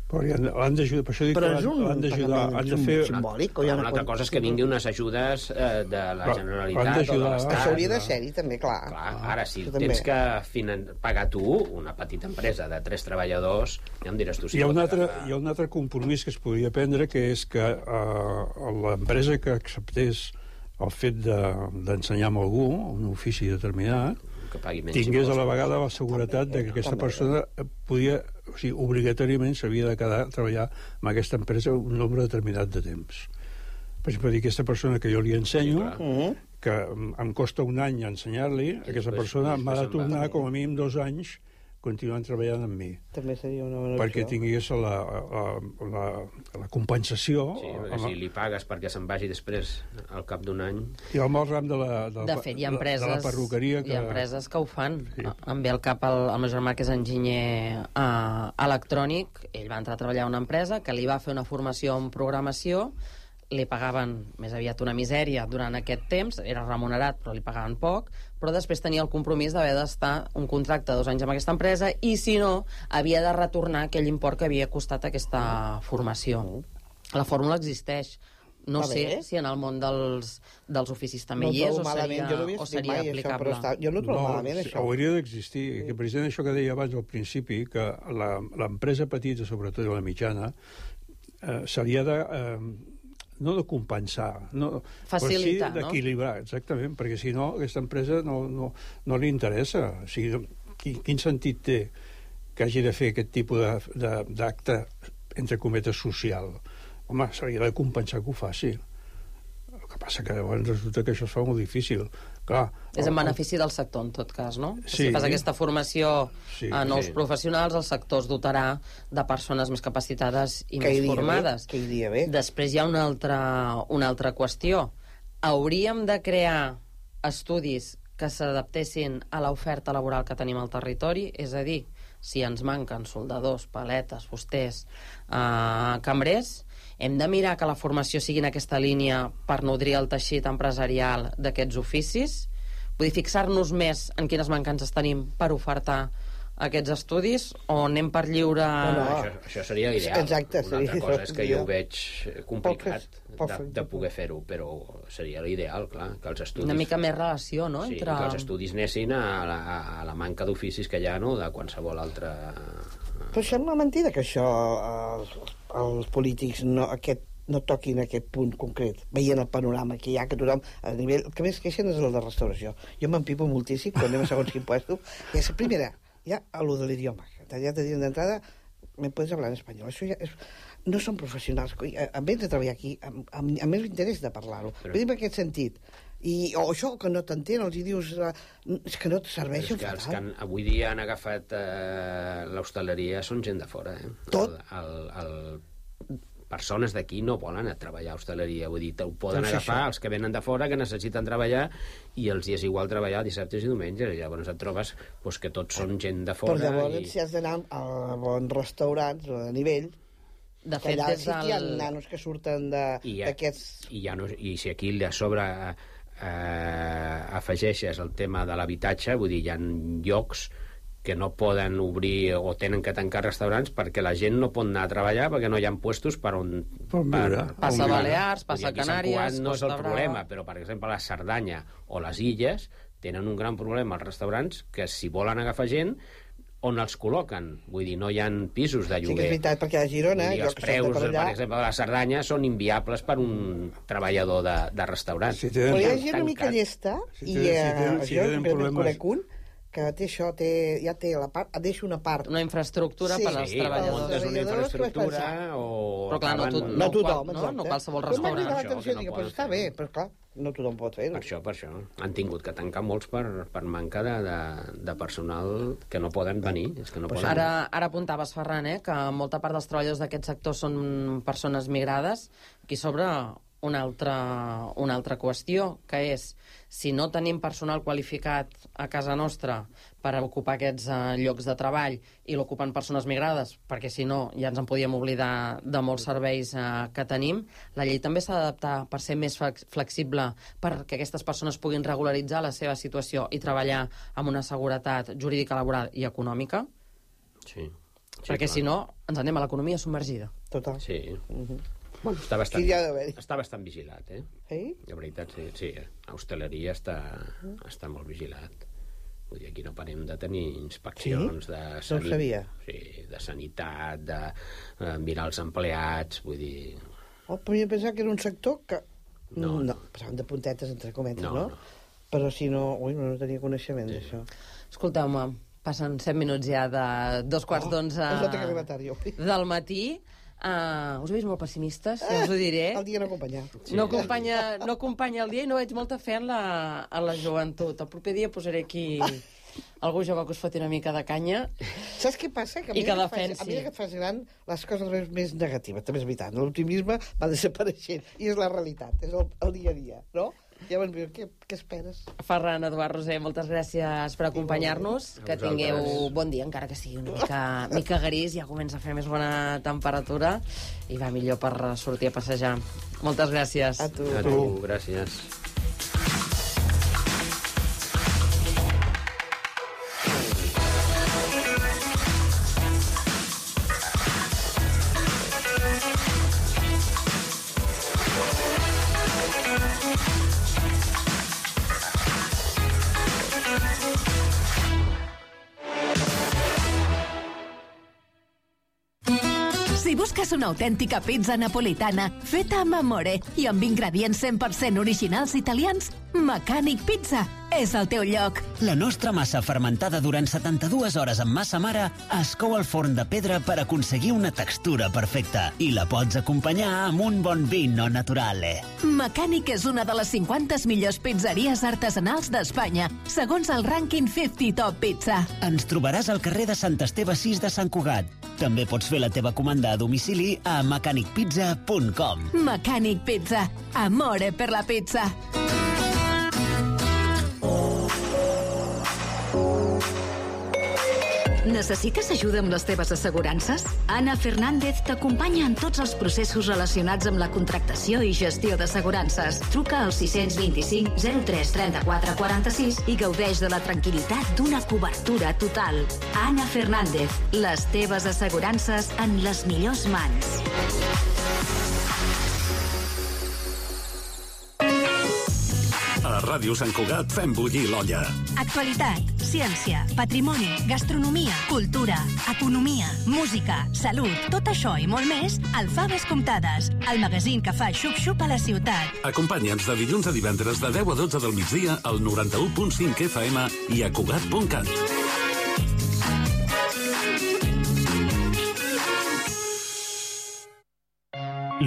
Però hi han- l'han d'ajudar, per això dic Però que és un l'han d'ajudar, pagament han de sim- fer... simbòlic, o hi ha Una una altra quant- cosa és que vinguin unes ajudes eh, de la Però han Generalitat o de d'ajudar. l'Estat. Això hauria de ser-hi, també, clar. Clar, ara, si Això també. tens que finan... pagar tu una petita empresa de tres treballadors, ja em diràs tu si Hi ha, un pots altre, agafar. hi ha un altre compromís que es podria prendre, que és que eh, l'empresa que acceptés el fet de- d'ensenyar de, amb algú, un ofici determinat, que pagui menys tingués a la impostos. vegada la seguretat de que aquesta persona podia, o sigui, obligatòriament s'havia de quedar a treballar amb aquesta empresa un nombre determinat de temps. Per exemple, dir, aquesta persona que jo li ensenyo, Sí, clar. Mhm. que em em costa un any ensenyar-li, aquesta després- persona m'ha de després se'n va. tornar com a mínim dos anys continuant treballant amb mi, També seria una bona perquè opció. tingués la, la, la, la compensació. Sí, perquè amb- si li pagues perquè se'n vagi després, al cap d'un any... I amb el ram de la, de, la- De fet, hi ha de- empreses, de la perruqueria que... hi ha empreses que ho fan. Sí. Sí. Em ve al cap el, el meu germà, que és enginyer uh, electrònic. Ell va entrar a treballar a una empresa que li va fer una formació en programació, li pagaven més aviat una misèria durant aquest temps, era remunerat però li pagaven poc, però després tenia el compromís d'haver d'estar un contracte de dos anys amb aquesta empresa i, si no, havia de retornar aquell import que havia costat aquesta formació. La fórmula existeix. No Va sé bé. si en el món dels, dels oficis també No hi és trobo o malament, seria, jo no havia o sentit seria mai això, aplicable. però està, jo no trobo malament, sí, això. hauria d'existir, que precisament això que deia abans al principi, que la- l'empresa petita, sobretot la mitjana, eh, s'hauria de... Eh, no de compensar, no, Facilitar, però sí no? d'equilibrar, exactament, perquè si no, aquesta empresa no, no, no li interessa. O sigui, quin, quin sentit té que hagi de fer aquest tipus de- de- d'acte, entre cometes, social? Home, s'hauria de compensar que ho faci. El que passa que llavors resulta que això es fa molt difícil. Clar, És en el- benefici del sector, en tot cas, no? Sí. Si fas aquesta formació Sí, a nous sí. professionals, el sector es dotarà de persones més capacitades i Que més iria bé, formades. que iria bé. Després hi ha una altra, una altra qüestió. Hauríem de crear estudis que s'adaptessin a l'oferta laboral que tenim al territori, és a dir, si ens manquen soldadors, paletes, fusters, eh, cambrers, hem de mirar que la formació sigui en aquesta línia per nodrir el teixit empresarial d'aquests oficis, vull dir, fixar-nos més en quines mancances tenim per ofertar aquests estudis, o anem per lliure... No, no. Això, això seria l'ideal. Exacte, Una seria altra cosa és que jo l'ideal. ho veig complicat Poc de, fet, de poder fer-ho, però seria l'ideal, clar, que els estudis... Una mica més relació, no? Sí, Entre... que els estudis anessin a la, a la manca d'oficis que hi ha, no?, de qualsevol altra... Però sembla mentida que això els, els polítics no, aquest, no toquin aquest punt concret, veient el panorama que hi ha, que tothom, a nivell, el que més queixen és el de restauració. Jo m'empipo moltíssim quan anem a segons quin puesto. I és la primera, ja a lo de l'idioma. Ja te diuen d'entrada, me puedes hablar en espanyol. Això ja és... No són professionals. A, a més de treballar aquí, amb, amb, amb més interès de parlar-ho. Però- Però... en aquest sentit, I, o això, que no t'entén, els hi dius... Uh, és que no et serveixen que els fatal. que han, avui dia han agafat eh, l'hostaleria són gent de fora. Eh? Tot? El, el, el, persones d'aquí no volen a treballar a hostaleria. Vull dir, ho poden Doncs agafar això. els que venen de fora, que necessiten treballar, i els hi és igual treballar dissabtes i diumenges. I llavors et trobes pues, que tots són gent de fora. Però llavors, i... si has d'anar a bons restaurants a nivell... De fet, allà des sí que hi ha del... nanos que surten d'aquests... I, ja no, I si aquí a sobre eh, afegeixes el tema de l'habitatge, vull dir, hi ha llocs que no poden obrir o tenen que tancar restaurants perquè la gent no pot anar a treballar perquè no hi ha puestos per on... Per viure. Passa a Balears, passa a Canàries... Canàries, no és el Costa problema, Brava... però, per exemple, la Cerdanya o les Illes tenen un gran problema als restaurants que si volen agafar gent on els col·loquen. Vull dir, no hi ha pisos de Sí que lloguer. és veritat, perquè a Girona... Vull dir, els preus, per, allà... per exemple, de la Cerdanya són inviables per un treballador de, de restaurant. Si tenen... Però hi ha gent una mica llesta, Si i tenen- si eh, tenen- si jo tenen en problemes- conec un, que té això, té, ja té la part, et deixa una part. Una infraestructura Sí, per als Sí, o treballadors. muntes una treballadors, infraestructura que o... Però clar, no, acaben- tot, No no, tothom, no, exacte. no qualsevol Però m'ha restaurant. cridat això, l'atenció, que no dic, poden però està fer. bé, però clar, no tothom pot fer-ho. Per això, per això. Han tingut que tancar molts per, per manca de, de, de personal que no poden venir. És que no poden... Ara, ara apuntaves, Ferran, eh, que molta part dels treballadors d'aquest sector són persones migrades. Aquí sobre una altra, una altra qüestió, que és si no tenim personal qualificat a casa nostra per ocupar aquests uh, llocs de treball i l'ocupen persones migrades, perquè si no ja ens en podíem oblidar de molts serveis uh, que tenim, la llei també s'ha d'adaptar per ser més flex flexible perquè aquestes persones puguin regularitzar la seva situació i treballar amb una seguretat jurídica, laboral i econòmica, Sí. sí perquè clar. si no ens anem a l'economia submergida. Total. Sí. Mhm. Bueno, està bastant, Aquí hi ha d'haver-hi. està bastant vigilat, eh? Sí? La veritat, sí. sí a hostaleria està, està molt vigilat. Vull dir, aquí no parem de tenir inspeccions Sí? de, No ho sabia. sí, de sanitat, de eh, mirar els empleats, vull dir... Oh, però jo pensava que era un sector que... No, no, no. passaven de puntetes, entre cometes, No, no? no. Però si no... Ui, no, no tenia coneixement Sí. d'això. Escolteu-me, passen set minuts ja de dos quarts Oh, d'onze es nota que arriba tard, jo. del matí. Uh, us veig molt pessimistes, ja us ho diré. El dia no acompanya. Sí. No acompanya, no acompanya el dia i no veig molta fe en la, en la joventut. El proper dia posaré aquí algú jove que us foti una mica de canya. Saps què passa? Que a I que mesura que, defensi. fas, a mesura que et fas gran, les coses les veus més negatives, també és veritat. L'optimisme va desapareixent, i és la realitat, és el, el dia a dia, no? Llavors, què, què esperes? Ferran, Eduard, Roser, moltes gràcies per acompanyar-nos. Que vosaltres. tingueu bon dia, encara que sigui una mica, mica gris, ja comença a fer més bona temperatura i va millor per sortir a passejar. Moltes gràcies. A tu. A tu, gràcies. Si busques una autèntica pizza napolitana feta amb amore i amb ingredients cent per cent originals italians, Mecànic Pizza és el teu lloc. La nostra massa fermentada durant setanta-dues hores amb massa mare es cou al forn de pedra per aconseguir una textura perfecta i la pots acompanyar amb un bon vino naturale. Mecànic és una de les cinquanta millors pizzeries artesanals d'Espanya, segons el rànquing cinquanta Top Pizza. Ens trobaràs al carrer de Sant Esteve sis de Sant Cugat. També pots fer la teva comanda a domicili a mecànic pizza punt com. Mecànic Pizza. Amore per la pizza. Necessites ajuda amb les teves assegurances? Ana Fernández t'acompanya en tots els processos relacionats amb la contractació i gestió d'assegurances. Truca al sis dos cinc zero tres tres quatre quatre sis i gaudeix de la tranquil·litat d'una cobertura total. Ana Fernández, les teves assegurances en les millors mans. A Ràdio Sant Cugat fem bullir l'olla. Actualitat, ciència, patrimoni, gastronomia, cultura, economia, música, salut, tot això i molt més al Faves Comptades, el magazín que fa xup-xup a la ciutat. Acompanya'ns de dilluns a divendres de deu a dotze del migdia al noranta-u punt cinc F M i a Cugat punt cat.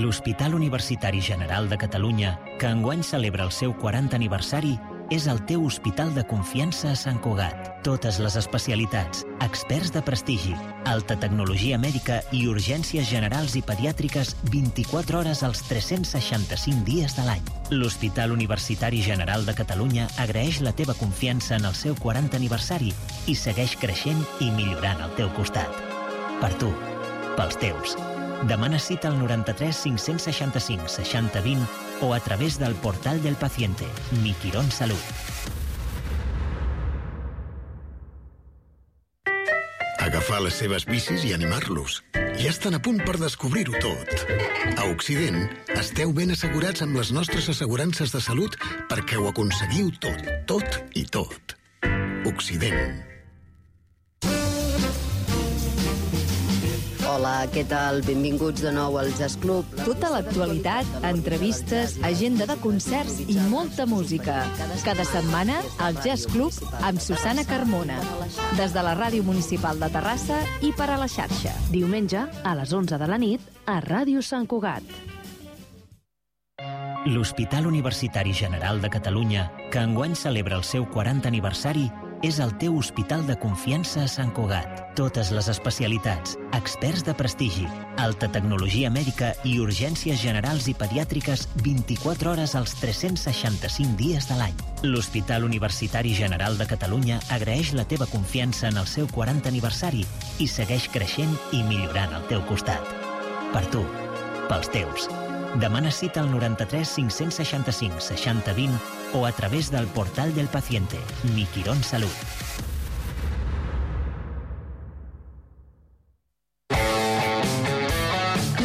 L'Hospital Universitari General de Catalunya, que enguany celebra el seu quaranta aniversari, és el teu hospital de confiança a Sant Cugat. Totes les especialitats, experts de prestigi, alta tecnologia mèdica i urgències generals i pediàtriques vint-i-quatre hores als tres-cents seixanta-cinc dies de l'any. L'Hospital Universitari General de Catalunya agraeix la teva confiança en el seu quaranta aniversari i segueix creixent i millorant al teu costat. Per tu, pels teus. Demana cita al noranta-tres cinc-cents seixanta-cinc seixanta vint o a través del portal del paciente, Mi Quirón Salut. Agafar les seves bicis i animar-los. Ja estan a punt per descobrir-ho tot. A Occident, esteu ben assegurats amb les nostres assegurances de salut perquè ho aconseguiu tot, tot i tot. Occident. Hola, què tal? Benvinguts de nou al Jazz Club. Tota l'actualitat, entrevistes, agenda de concerts i molta música. Cada setmana, al Jazz Club amb Susana Carmona. Des de la Ràdio Municipal de Terrassa i per a la xarxa. Diumenge, a les onze de la nit, a Ràdio Sant Cugat. L'Hospital Universitari General de Catalunya, que enguany celebra el seu quaranta aniversari, és el teu hospital de confiança a Sant Cugat. Totes les especialitats, experts de prestigi, alta tecnologia mèdica i urgències generals i pediàtriques vint-i-quatre hores als tres-cents seixanta-cinc dies de l'any. L'Hospital Universitari General de Catalunya agraeix la teva confiança en el seu quaranta aniversari i segueix creixent i millorant al teu costat. Per tu, pels teus. Demana cita al noranta-tres cinc-cents seixanta-cinc seixanta vint o a través del portal del paciente, Mi Quirón Salut.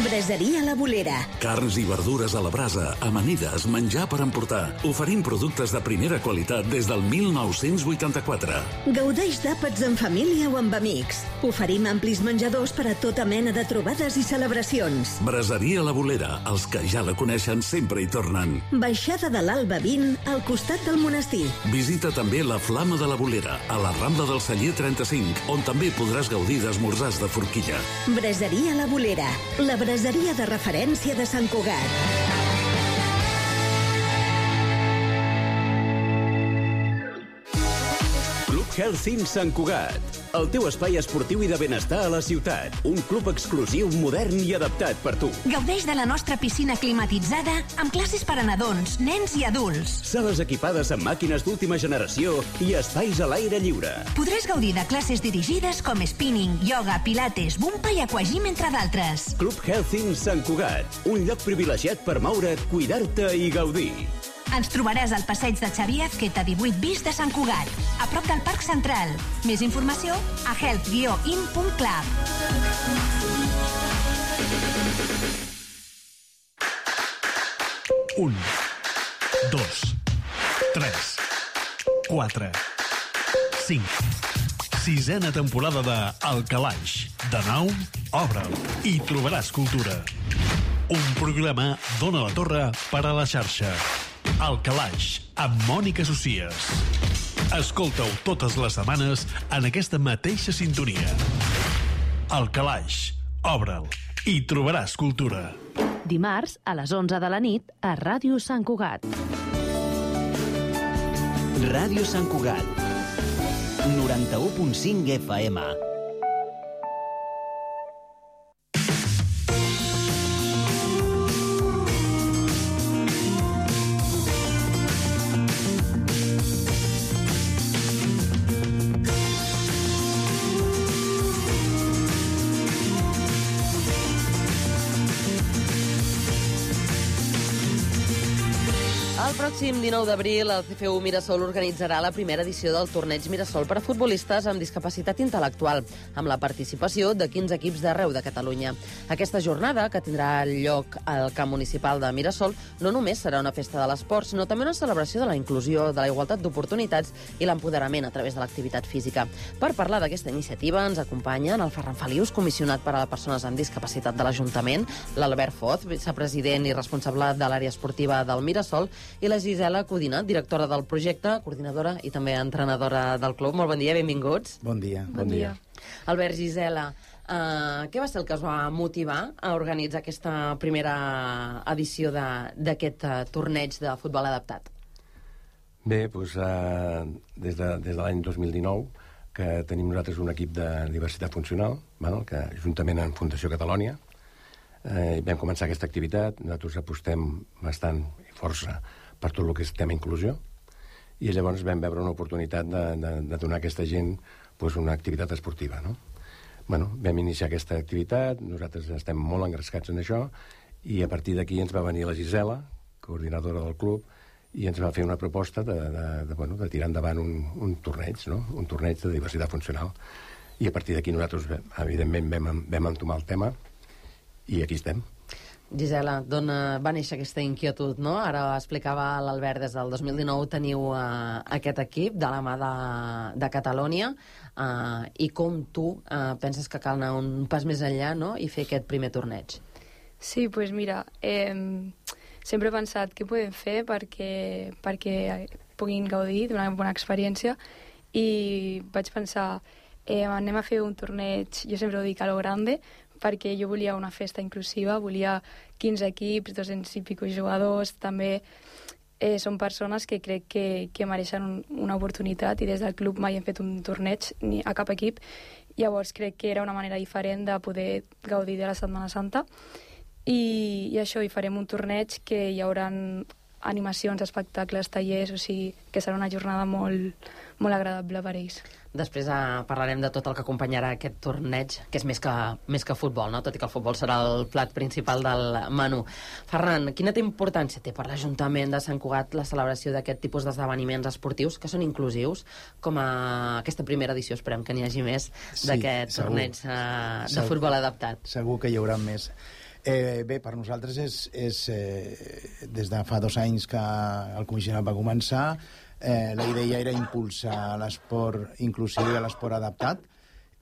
Braseria La Bolera. Carns i verdures a la brasa, amanides, menjar per emportar. Oferim productes de primera qualitat des del mil nou-cents vuitanta-quatre. Gaudeix d'àpats en família o amb amics. Oferim amplis menjadors per a tota mena de trobades i celebracions. Braseria La Bolera. Els que ja la coneixen sempre hi tornen. Baixada de l'Alba vint, al costat del monestir. Visita també la Flama de la Bolera, a la Rambla del Celler trenta-cinc, on també podràs gaudir d'esmorzars de forquilla. Braseria La Bolera. La braseria de referència de Sant Cugat. Club Health Sant Cugat, el teu espai esportiu i de benestar a la ciutat. Un club exclusiu, modern i adaptat per tu. Gaudeix de la nostra piscina climatitzada amb classes per a nadons, nens i adults. Sales equipades amb màquines d'última generació i espais a l'aire lliure. Podràs gaudir de classes dirigides com spinning, ioga, pilates, bumpa i aquagym, entre d'altres. Club Health Sant Cugat, un lloc privilegiat per moure't, cuidar-te i gaudir. Ens trobaràs al passeig de Xavier Azqueta divuit bis de Sant Cugat, a prop del Parc Central. Més informació a health guió in punt club. Un, dos, tres, quatre, cinc. Sisena temporada de El Calaix. De nou, obre'l i trobaràs cultura. Un programa d'Ona la Torre per a la xarxa. El Calaix, amb Mònica Socies. Escolta-ho totes les setmanes en aquesta mateixa sintonia. El Calaix, obre'l i trobaràs cultura. Dimarts, a les onze de la nit, a Ràdio Sant Cugat. Ràdio Sant Cugat, noranta-u punt cinc F M. El pròxim dinou d'abril, el C F U Mirasol organitzarà la primera edició del torneig Mirasol per a futbolistes amb discapacitat intel·lectual, amb la participació de quinze equips d'arreu de Catalunya. Aquesta jornada, que tindrà lloc al camp municipal de Mirasol, no només serà una festa de l'esport, sinó també una celebració de la inclusió, de la igualtat d'oportunitats i l'empoderament a través de l'activitat física. Per parlar d'aquesta iniciativa ens acompanyen el Ferran Felius, comissionat per a les persones amb discapacitat de l'Ajuntament, l'Albert Foz, vicepresident i responsable de l'àrea esportiva del Mirasol, i la Gisela Codina, directora del projecte, coordinadora i també entrenadora del club. Molt bon dia, benvinguts. Bon dia. Bon dia. Albert, Gisela, Uh, què va ser el que us va motivar a organitzar aquesta primera edició d'aquest uh, torneig de futbol adaptat? Bé, doncs, uh, des de, des de l'any dos mil dinou que tenim nosaltres un equip de diversitat funcional, val? Que juntament amb Fundació Catalònia eh, vam començar aquesta activitat. Nosaltres apostem bastant i força per tot el que és tema inclusió, i llavors vam veure una oportunitat de, de, de donar a aquesta gent doncs, una activitat esportiva, no? Bueno, vam iniciar aquesta activitat, nosaltres estem molt engrescats en això, i a partir d'aquí ens va venir la Gisela, coordinadora del club, i ens va fer una proposta de, de, de, bueno, de tirar endavant un, un torneig, no? Un torneig de diversitat funcional. I a partir d'aquí nosaltres, evidentment, vam, vam entomar el tema, i aquí estem. Gisela, d'on va néixer aquesta inquietud, no? Ara explicava l'Albert, des del dos mil dinou teniu uh, aquest equip de la mà de, de Catalònia, uh, i com tu uh, penses que cal anar un pas més enllà, no?, i fer aquest primer torneig? Sí, doncs pues mira, eh, sempre he pensat què podem fer perquè, perquè puguin gaudir d'una bona experiència, i vaig pensar, eh, anem a fer un torneig, jo sempre ho dic, a lo grande, perquè jo volia una festa inclusiva, volia quinze equips, dos-cents i pico jugadors, també eh, són persones que crec que, que mereixen un, una oportunitat, i des del club mai hem fet un torneig ni a cap equip, llavors crec que era una manera diferent de poder gaudir de la Setmana Santa, i, i això, hi farem un torneig que hi haurà animacions, espectacles, tallers, o sigui que serà una jornada molt, molt agradable per ells. Després eh, parlarem de tot el que acompanyarà aquest torneig, que és més que, més que futbol, no? Tot i que el futbol serà el plat principal del menú. Ferran, quina importància té per l'Ajuntament de Sant Cugat la celebració d'aquest tipus d'esdeveniments esportius que són inclusius, com a aquesta primera edició, esperem que n'hi hagi més, sí, d'aquest torneig eh, de segur, futbol adaptat? Segur que hi haurà més. Eh, bé, per nosaltres és, és eh, des de fa dos anys que el comissionat va començar, eh, la idea era impulsar l'esport inclusiu i l'esport adaptat,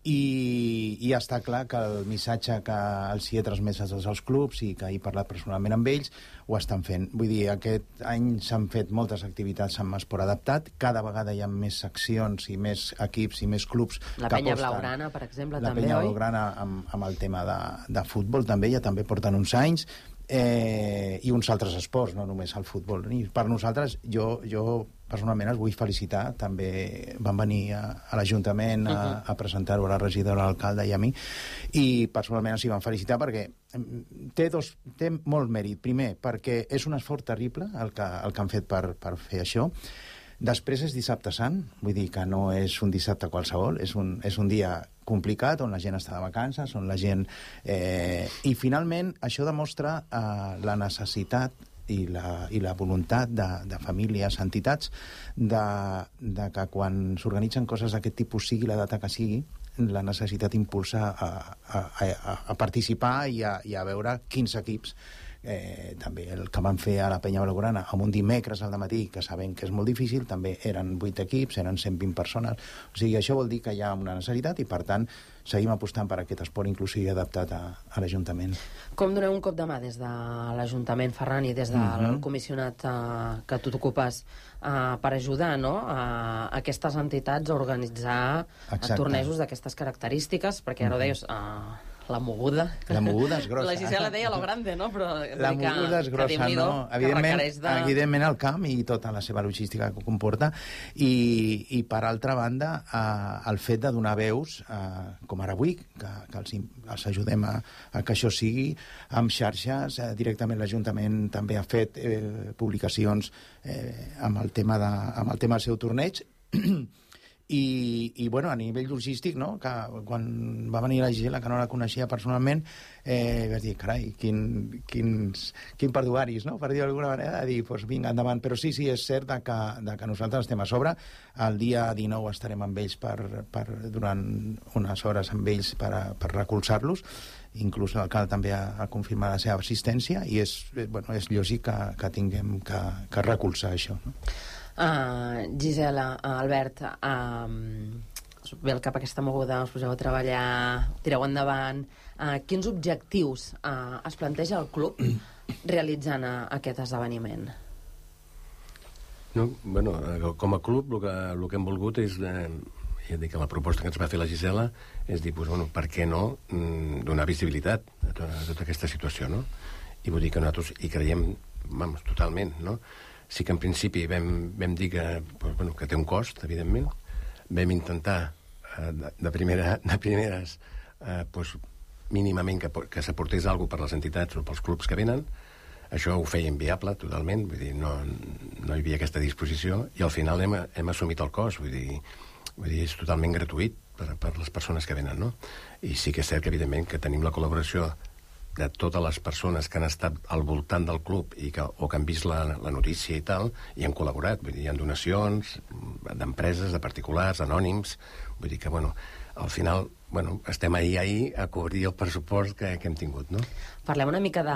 i, i està clar que el missatge que els hi he transmès a tots els clubs i que he parlat personalment amb ells ho estan fent. Vull dir, aquest any s'han fet moltes activitats amb esport adaptat, cada vegada hi ha més seccions i més equips i més clubs la que Penya aposten. Blaugrana, per exemple, la també, Penya oi? Blaugrana amb, amb el tema de, de futbol també, ja també porten uns anys, eh, i uns altres esports, no només el futbol. I per nosaltres, jo, jo personalment els vull felicitar, també van venir a, a l'Ajuntament a, Uh-huh. a presentar-ho a la regidora, a l'alcalde i a mi, i personalment els hi van felicitar perquè té, dos, té molt mèrit. Primer, perquè és un esforç terrible el que, el que han fet per, per fer això. Després és dissabte sant, vull dir que no és un dissabte qualsevol, és un, és un dia complicat, on la gent està de vacances, on la gent... Eh, I finalment això demostra eh, la necessitat i la, i la voluntat de, de famílies, entitats, de, de que quan s'organitzen coses d'aquest tipus, sigui la data que sigui, la necessitat impulsa a, a, a, a participar i a, i a veure quins equips. Eh, també el que van fer a la Penya Blaugrana amb un dimecres al dematí, que sabem que és molt difícil, també eren vuit equips, eren cent vint persones, o sigui, això vol dir que hi ha una necessitat i per tant seguim apostant per aquest esport inclusiu i adaptat a, a l'Ajuntament. Com doneu un cop de mà des de l'Ajuntament, Ferran, i des del Mhm. comissionat eh, que tu t'ocupes eh, per ajudar, no?, a aquestes entitats a organitzar Exacte. tornejos d'aquestes característiques, perquè ara ho deies... Eh, la moguda. La moguda és grossa. La Gisela deia lo grande, no? Però La moguda és grossa, no? Evidentment, de... evidentment el camp i tota la seva logística que comporta, i, i per altra banda eh, el fet de donar veus, eh, com ara avui, que, que els, els ajudem a, a que això sigui, amb xarxes, eh, directament l'Ajuntament també ha fet eh, publicacions eh, amb, el tema de, amb el tema del seu torneig, I, i bueno, a nivell logístic, no?, que quan va venir la Gisela, que no la coneixia personalment, eh, vas dir, carai, quin, quins, quin perduaris, no?, per dir d'alguna manera, de dir, doncs vinga, endavant. Però sí, sí, és cert de que, de que nosaltres estem a sobre. El dia dinou estarem amb ells per, per, durant unes hores amb ells per, per recolzar-los. Inclús l'alcalde també ha, ha confirmat la seva assistència, i és, bueno, és lògic que, que tinguem que, que recolzar això, no? Uh, Gisela, uh, Albert, uh, us ve al cap aquesta moguda, us poseu a treballar, tireu endavant. Uh, quins objectius uh, es planteja el club realitzant uh, aquest esdeveniment? No, bueno, com a club el que, el que hem volgut és eh, ja et dic que la proposta que ens va fer la Gisela és dir, doncs, bueno, per què no mm, donar visibilitat a tota, a tota aquesta situació, no? I vull dir que nosaltres hi creiem, vamos, totalment, no? Sí que en principi vam, vam dir que, doncs, bueno, que té un cost, evidentment. Vam intentar eh, de, de, primera, de primeres eh, doncs, mínimament que, que s'aportés alguna cosa per les entitats o pels clubs que venen. Això ho feia inviable totalment, vull dir, no, no hi havia aquesta disposició, i al final hem, hem assumit el cost, vull dir, vull dir, és totalment gratuït per, per les persones que venen, no? I sí que és cert que, evidentment, que tenim la col·laboració de totes les persones que han estat al voltant del club i que, o que han vist la, la notícia i tal, i han col·laborat. Vull dir, hi ha donacions d'empreses, de particulars, anònims. Vull dir que, bueno, al final, bueno, estem ahir, ahir a cobrir el pressupost que, que hem tingut, no? Parlem una mica de,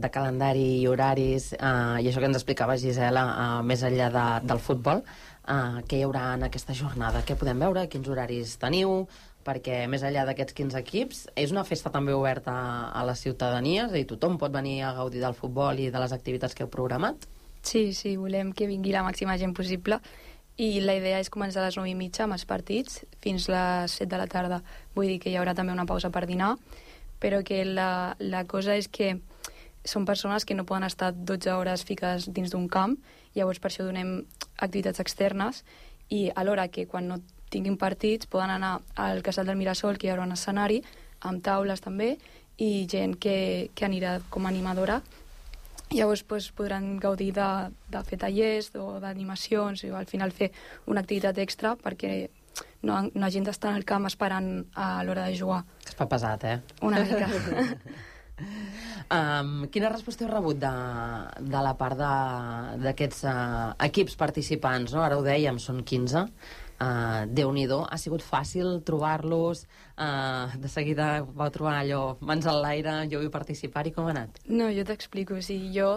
de calendari i horaris, eh, i això que ens explicava Gisela, eh, més enllà de, del futbol, eh, què hi haurà en aquesta jornada? Què podem veure? Quins horaris teniu? Perquè més enllà d'aquests quinze equips, és una festa també oberta a la ciutadania, és a dir, tothom pot venir a gaudir del futbol i de les activitats que heu programat? Sí, sí, volem que vingui la màxima gent possible, i la idea és començar a les nou i mitja amb els partits fins les set de la tarda. Vull dir que hi haurà també una pausa per dinar, però que la, la cosa és que són persones que no poden estar dotze hores fiques dins d'un camp, llavors per això donem activitats externes, i alhora que quan no tinguin partits poden anar al Casal del Mirasol, que hi haurà un escenari amb taules també, i gent que, que anirà com a animadora. Llavors pues, podran gaudir de, de fer tallers o d'animacions, i al final fer una activitat extra perquè no, no hagin d'estar al camp esperant a l'hora de jugar. Es fa pesat, eh? Una mica. Um, quina resposta heu rebut de, de la part d'aquests uh, equips participants, no? Ara ho dèiem, són quinze. Uh, Déu-n'hi-do, ha sigut fàcil trobar-los, uh, de seguida vau trobar allò, mans al l'aire, jo vull participar-hi, com ha anat? No, jo t'explico, o sigui, jo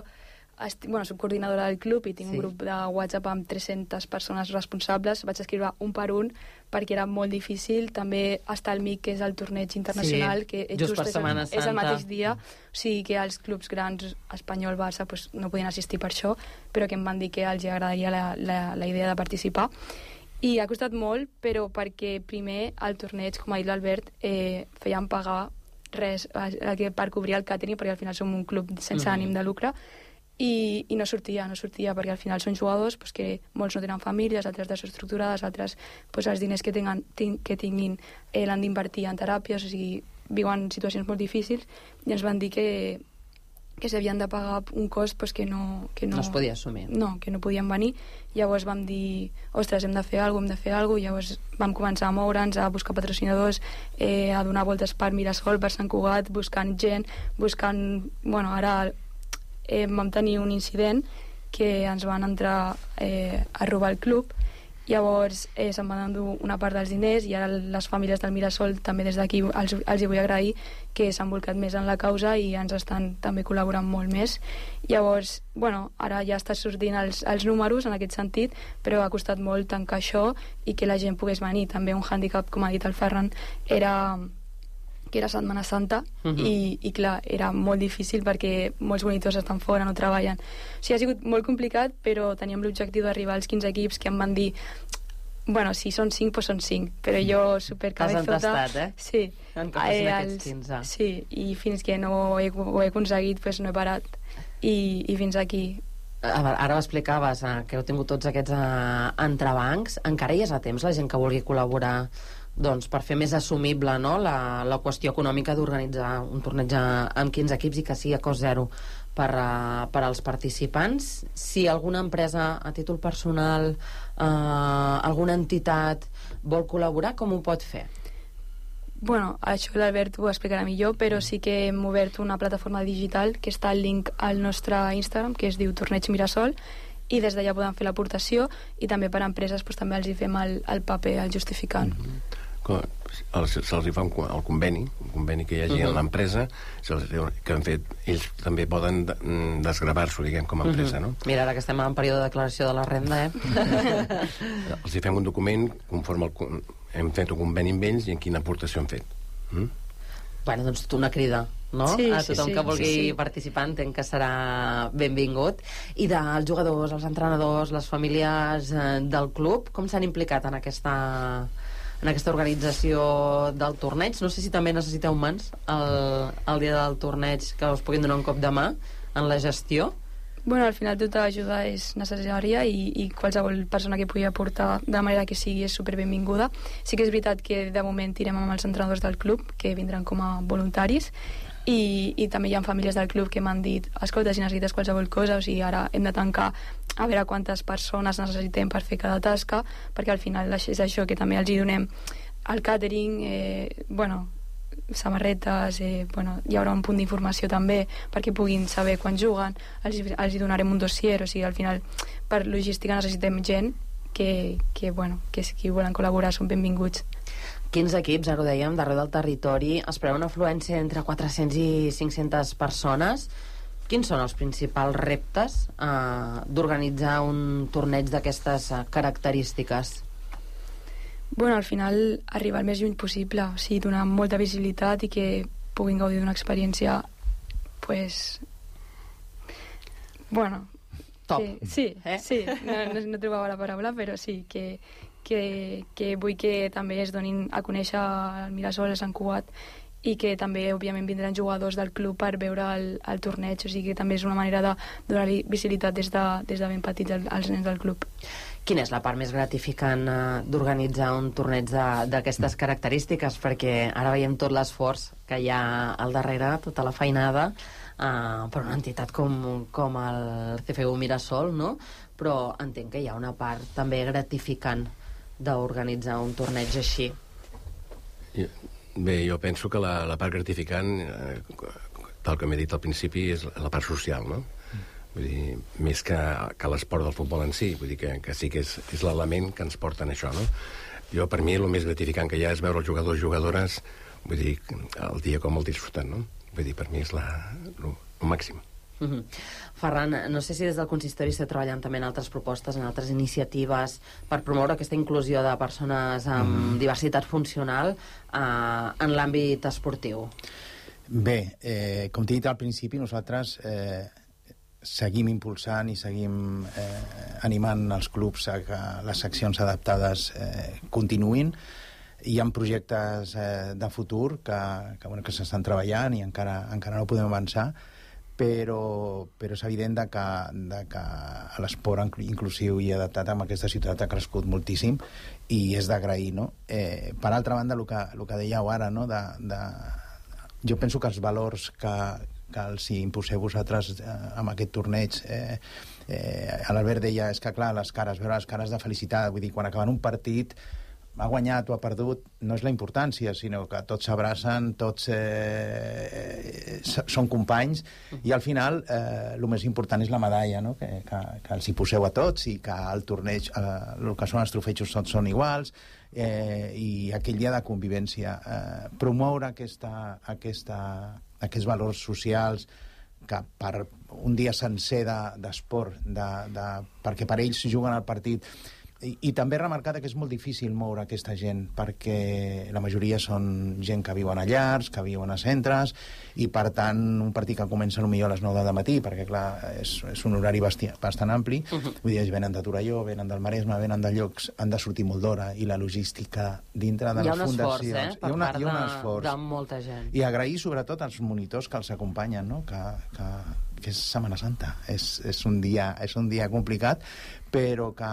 estic, bueno, soc coordinadora del club i tinc sí. un grup de WhatsApp amb tres-centes persones responsables, vaig escriure un per un perquè era molt difícil, també està el M I C, que és el torneig internacional, sí, que just, just per és, Setmana el, és el mateix dia, o sigui que els clubs grans, Espanyol, Barça, pues, no podien assistir per això, però que em van dir que els agradaria la, la, la idea de participar. I ha costat molt, però perquè primer el torneig, com ha dit l'Albert, eh, feien pagar res eh, per cobrir el càtering, perquè al final som un club sense mm-hmm. ànim de lucre, i, i no sortia, no sortia, perquè al final són jugadors pues, que molts no tenen famílies, altres desestructurades, altres pues, els diners que, tengan, tin, que tinguin eh, l'han d'invertir en teràpies, o sigui, viuen situacions molt difícils, i ens van dir que que s'havien de pagar un cost pues, que, no, que no... No es podia assumir. No, que no podien venir. Llavors vam dir, ostres, hem de fer alguna cosa, hem de fer alguna cosa, llavors vam començar a moure'ns, a buscar patrocinadors, eh, a donar voltes per Mirasol, per Sant Cugat, buscant gent, buscant... Bueno, ara eh, vam tenir un incident que ens van entrar eh, a robar el club, llavors eh, se'n van endur una part dels diners, i ara les famílies del Mirasol també des d'aquí els, els hi vull agrair que s'han volcat més en la causa i ens estan també col·laborant molt més. Llavors, bueno, ara ja està sortint els, els números en aquest sentit, però ha costat molt tancar això i que la gent pogués venir. També un hàndicap, com ha dit el Ferran, era que era Setmana Santa, uh-huh. i, i clar, era molt difícil perquè molts monitors estan fora, no treballen. O sigui, ha sigut molt complicat, però teníem l'objectiu d'arribar als quinze equips, que em van dir bueno, si són cinc, doncs són cinc, però jo supercabezota... T'has entestat, eh? Sí. En que passin eh, aquests quinze. Sí, i fins que no ho he, ho he aconseguit, doncs no he parat, i, i fins aquí. Ara m'explicaves eh, que heu tingut tots aquests eh, entrebancs. Encara hi és a temps la gent que vulgui col·laborar doncs, per fer més assumible, no?, la, la qüestió econòmica d'organitzar un torneig amb quinze equips i que sigui a cost zero per, uh, per als participants. Si alguna empresa a títol personal, uh, alguna entitat vol col·laborar, com ho pot fer? Bueno, això l'Albert ho explicarà millor, però sí que hem obert una plataforma digital que està al link al nostre Instagram, que es diu Torneig Mirasol, i des d'allà podem fer l'aportació, i també per a empreses doncs, també els hi fem el, el paper, el justificant. Mm-hmm. Se'ls hi fa un, el conveni, un conveni que hi hagi uh-huh. en l'empresa, que han fet, ells també poden desgravar-s'ho, diguem, com a empresa, uh-huh. no? Mira, ara que estem en període de declaració de la renda, eh? Els hi fem un document conforme el, hem fet un conveni amb ells i en quina aportació han fet. Mm? Bueno, doncs una crida, no? Sí, a tothom sí, sí, que vulgui sí, sí. participar, entenc que serà benvingut. I dels jugadors, els entrenadors, les famílies eh, del club, com s'han implicat en aquesta, en aquesta organització del torneig. No sé si també necessiteu mans el, el dia del torneig que us puguin donar un cop de mà en la gestió. Bueno, al final tota ajuda és necessària i, i qualsevol persona que pugui aportar de manera que sigui és superbenvinguda. Sí que és veritat que de moment tirem amb els entrenadors del club, que vindran com a voluntaris, i, i també hi ha famílies del club que m'han dit escolta, si necessites qualsevol cosa, o sigui, ara hem de tancar a veure quantes persones necessitem per fer cada tasca, perquè al final és això, que també els hi donem el catering, eh, bueno, samarretes, eh, bueno, hi haurà un punt d'informació també perquè puguin saber quan juguen, els, els hi donarem un dossier, o sigui, al final per logística necessitem gent que, que, bueno, que si volen col·laborar són benvinguts. Quins equips, ara ho dèiem, d'arreu del territori, es preveu una afluència entre quatre-cents i cinc-centes persones. Quins són els principals reptes eh, d'organitzar un torneig d'aquestes eh, característiques? Bueno, al final arribar el més lluny possible, o sigui, donar molta visibilitat i que puguin gaudir d'una experiència pues... bueno, top. Que, sí, eh? sí, no, no, no trobava la paraula, però sí, que, que, que vull que també es donin a conèixer el Mirasol, el Sant Cugat, i que també, òbviament, vindran jugadors del club per veure el, el torneig, o sigui que també és una manera de donar-li visibilitat des de, des de ben petits als nens del club. Quina és la part més gratificant eh, d'organitzar un torneig d'aquestes característiques? Perquè ara veiem tot l'esforç que hi ha al darrere, tota la feinada, eh, per una entitat com, com el C F U Mirasol, no? Però entenc que hi ha una part també gratificant d'organitzar un torneig així. Bé, jo penso que la, la part gratificant, eh, tal com he dit al principi, és la part social, no? Vull dir, més que, que l'esport del futbol en si, vull dir que, que sí que és, és l'element que ens porta en això, no? Jo, per mi, el més gratificant que hi ha és veure els jugadors i jugadores, vull dir, el dia com el disfruten, no? Vull dir, per mi és la, el, el màxim. Uh-huh. Ferran, no sé si des del consistori esteu treballant també en altres propostes, en altres iniciatives per promoure aquesta inclusió de persones amb mm. diversitat funcional eh, en l'àmbit esportiu. Bé, eh, com t'he dit al principi, nosaltres eh, seguim impulsant i seguim eh, animant els clubs a que les seccions adaptades eh, continuïn. Hi ha projectes eh, de futur que, que, bueno, que s'estan treballant i encara, encara no podem avançar, però, però és evident de que, de que l'esport inclusiu i adaptat amb aquesta ciutat ha crescut moltíssim i és d'agrair, no? Eh, per altra banda, el que, el que dèieu ara, no? de, de, jo penso que els valors que, que els imposeu vosaltres eh, amb aquest torneig, eh, eh, l'Albert deia, és que clar, les cares, veure les cares de felicitat, vull dir, quan acaben un partit ha guanyat o ha perdut, no és la importància, sinó que tots s'abracen, tots eh, són companys, i al final eh, el més important és la medalla, no? que, que, que els hi poseu a tots i que el torneig, eh, el que són els trofejos tots són iguals, eh, i aquell dia de convivència. Eh, promoure aquesta, aquesta, aquests valors socials que per un dia sencer d'esport, de, de, perquè per ells juguen al partit. I, i també remarcar que és molt difícil moure aquesta gent, perquè la majoria són gent que viuen a llars, que viuen a centres, i per tant un partit que comença potser a les nou del matí, perquè clar, és, és un horari basti, bastant ampli, uh-huh. Vull dir, ells venen de Torelló, venen del Maresme, venen de llocs, han de sortir molt d'hora, i la logística dintre de les fundacions... Hi ha un esforç, eh? Per una, part de, de molta gent. I agrair sobretot als monitors que els acompanyen, no? que, que, que és Setmana Santa, és, és, un dia, és un dia complicat, però que...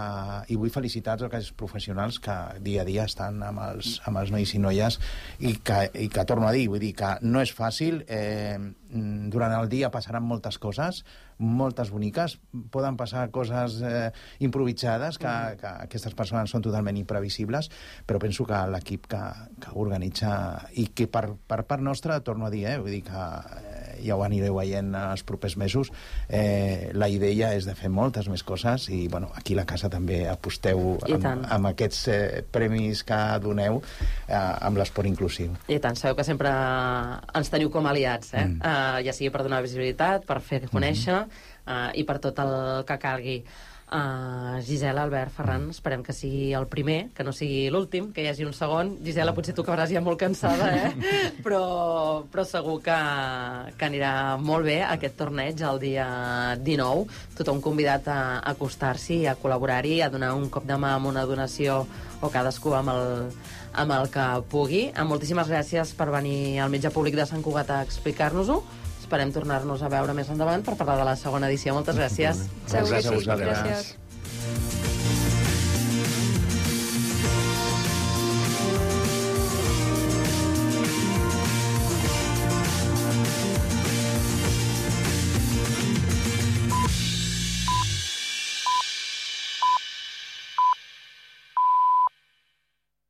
I vull felicitar tots aquells professionals que dia a dia estan amb els, amb els nois i noies, i que, i que torno a dir, vull dir que no és fàcil, eh, durant el dia passaran moltes coses, moltes boniques, poden passar coses eh, improvisades, que, que aquestes persones són totalment imprevisibles, però penso que l'equip que, que organitza, i que per, per part nostra, torno a dir, eh, vull dir que eh, ja ho anireu veient els propers mesos, eh, la idea és de fer moltes més coses, i bueno, aquí a la casa també aposteu amb, amb aquests eh, premis que doneu eh, amb l'esport inclusiu. I tant, sabeu que sempre ens teniu com aliats, eh? Mm. Uh, ja sigui per donar visibilitat, per fer conèixer, mm-hmm. uh, i per tot el que calgui. Uh, Gisela, Albert, Ferran, mm. esperem que sigui el primer, que no sigui l'últim, que hi hagi un segon. Gisela, potser tu acabaràs ja molt cansada, eh? però, però segur que, que anirà molt bé aquest torneig el dia dinou. Tothom convidat a acostar-s'hi, a col·laborar-hi, a donar un cop de mà amb una donació o cadascú amb el, amb el que pugui. Moltíssimes gràcies per venir al Metge Públic de Sant Cugat a explicar-nos-ho. Esperem tornar-nos a veure més endavant per parlar de la segona edició. Moltes gràcies. Gràcies a vosaltres.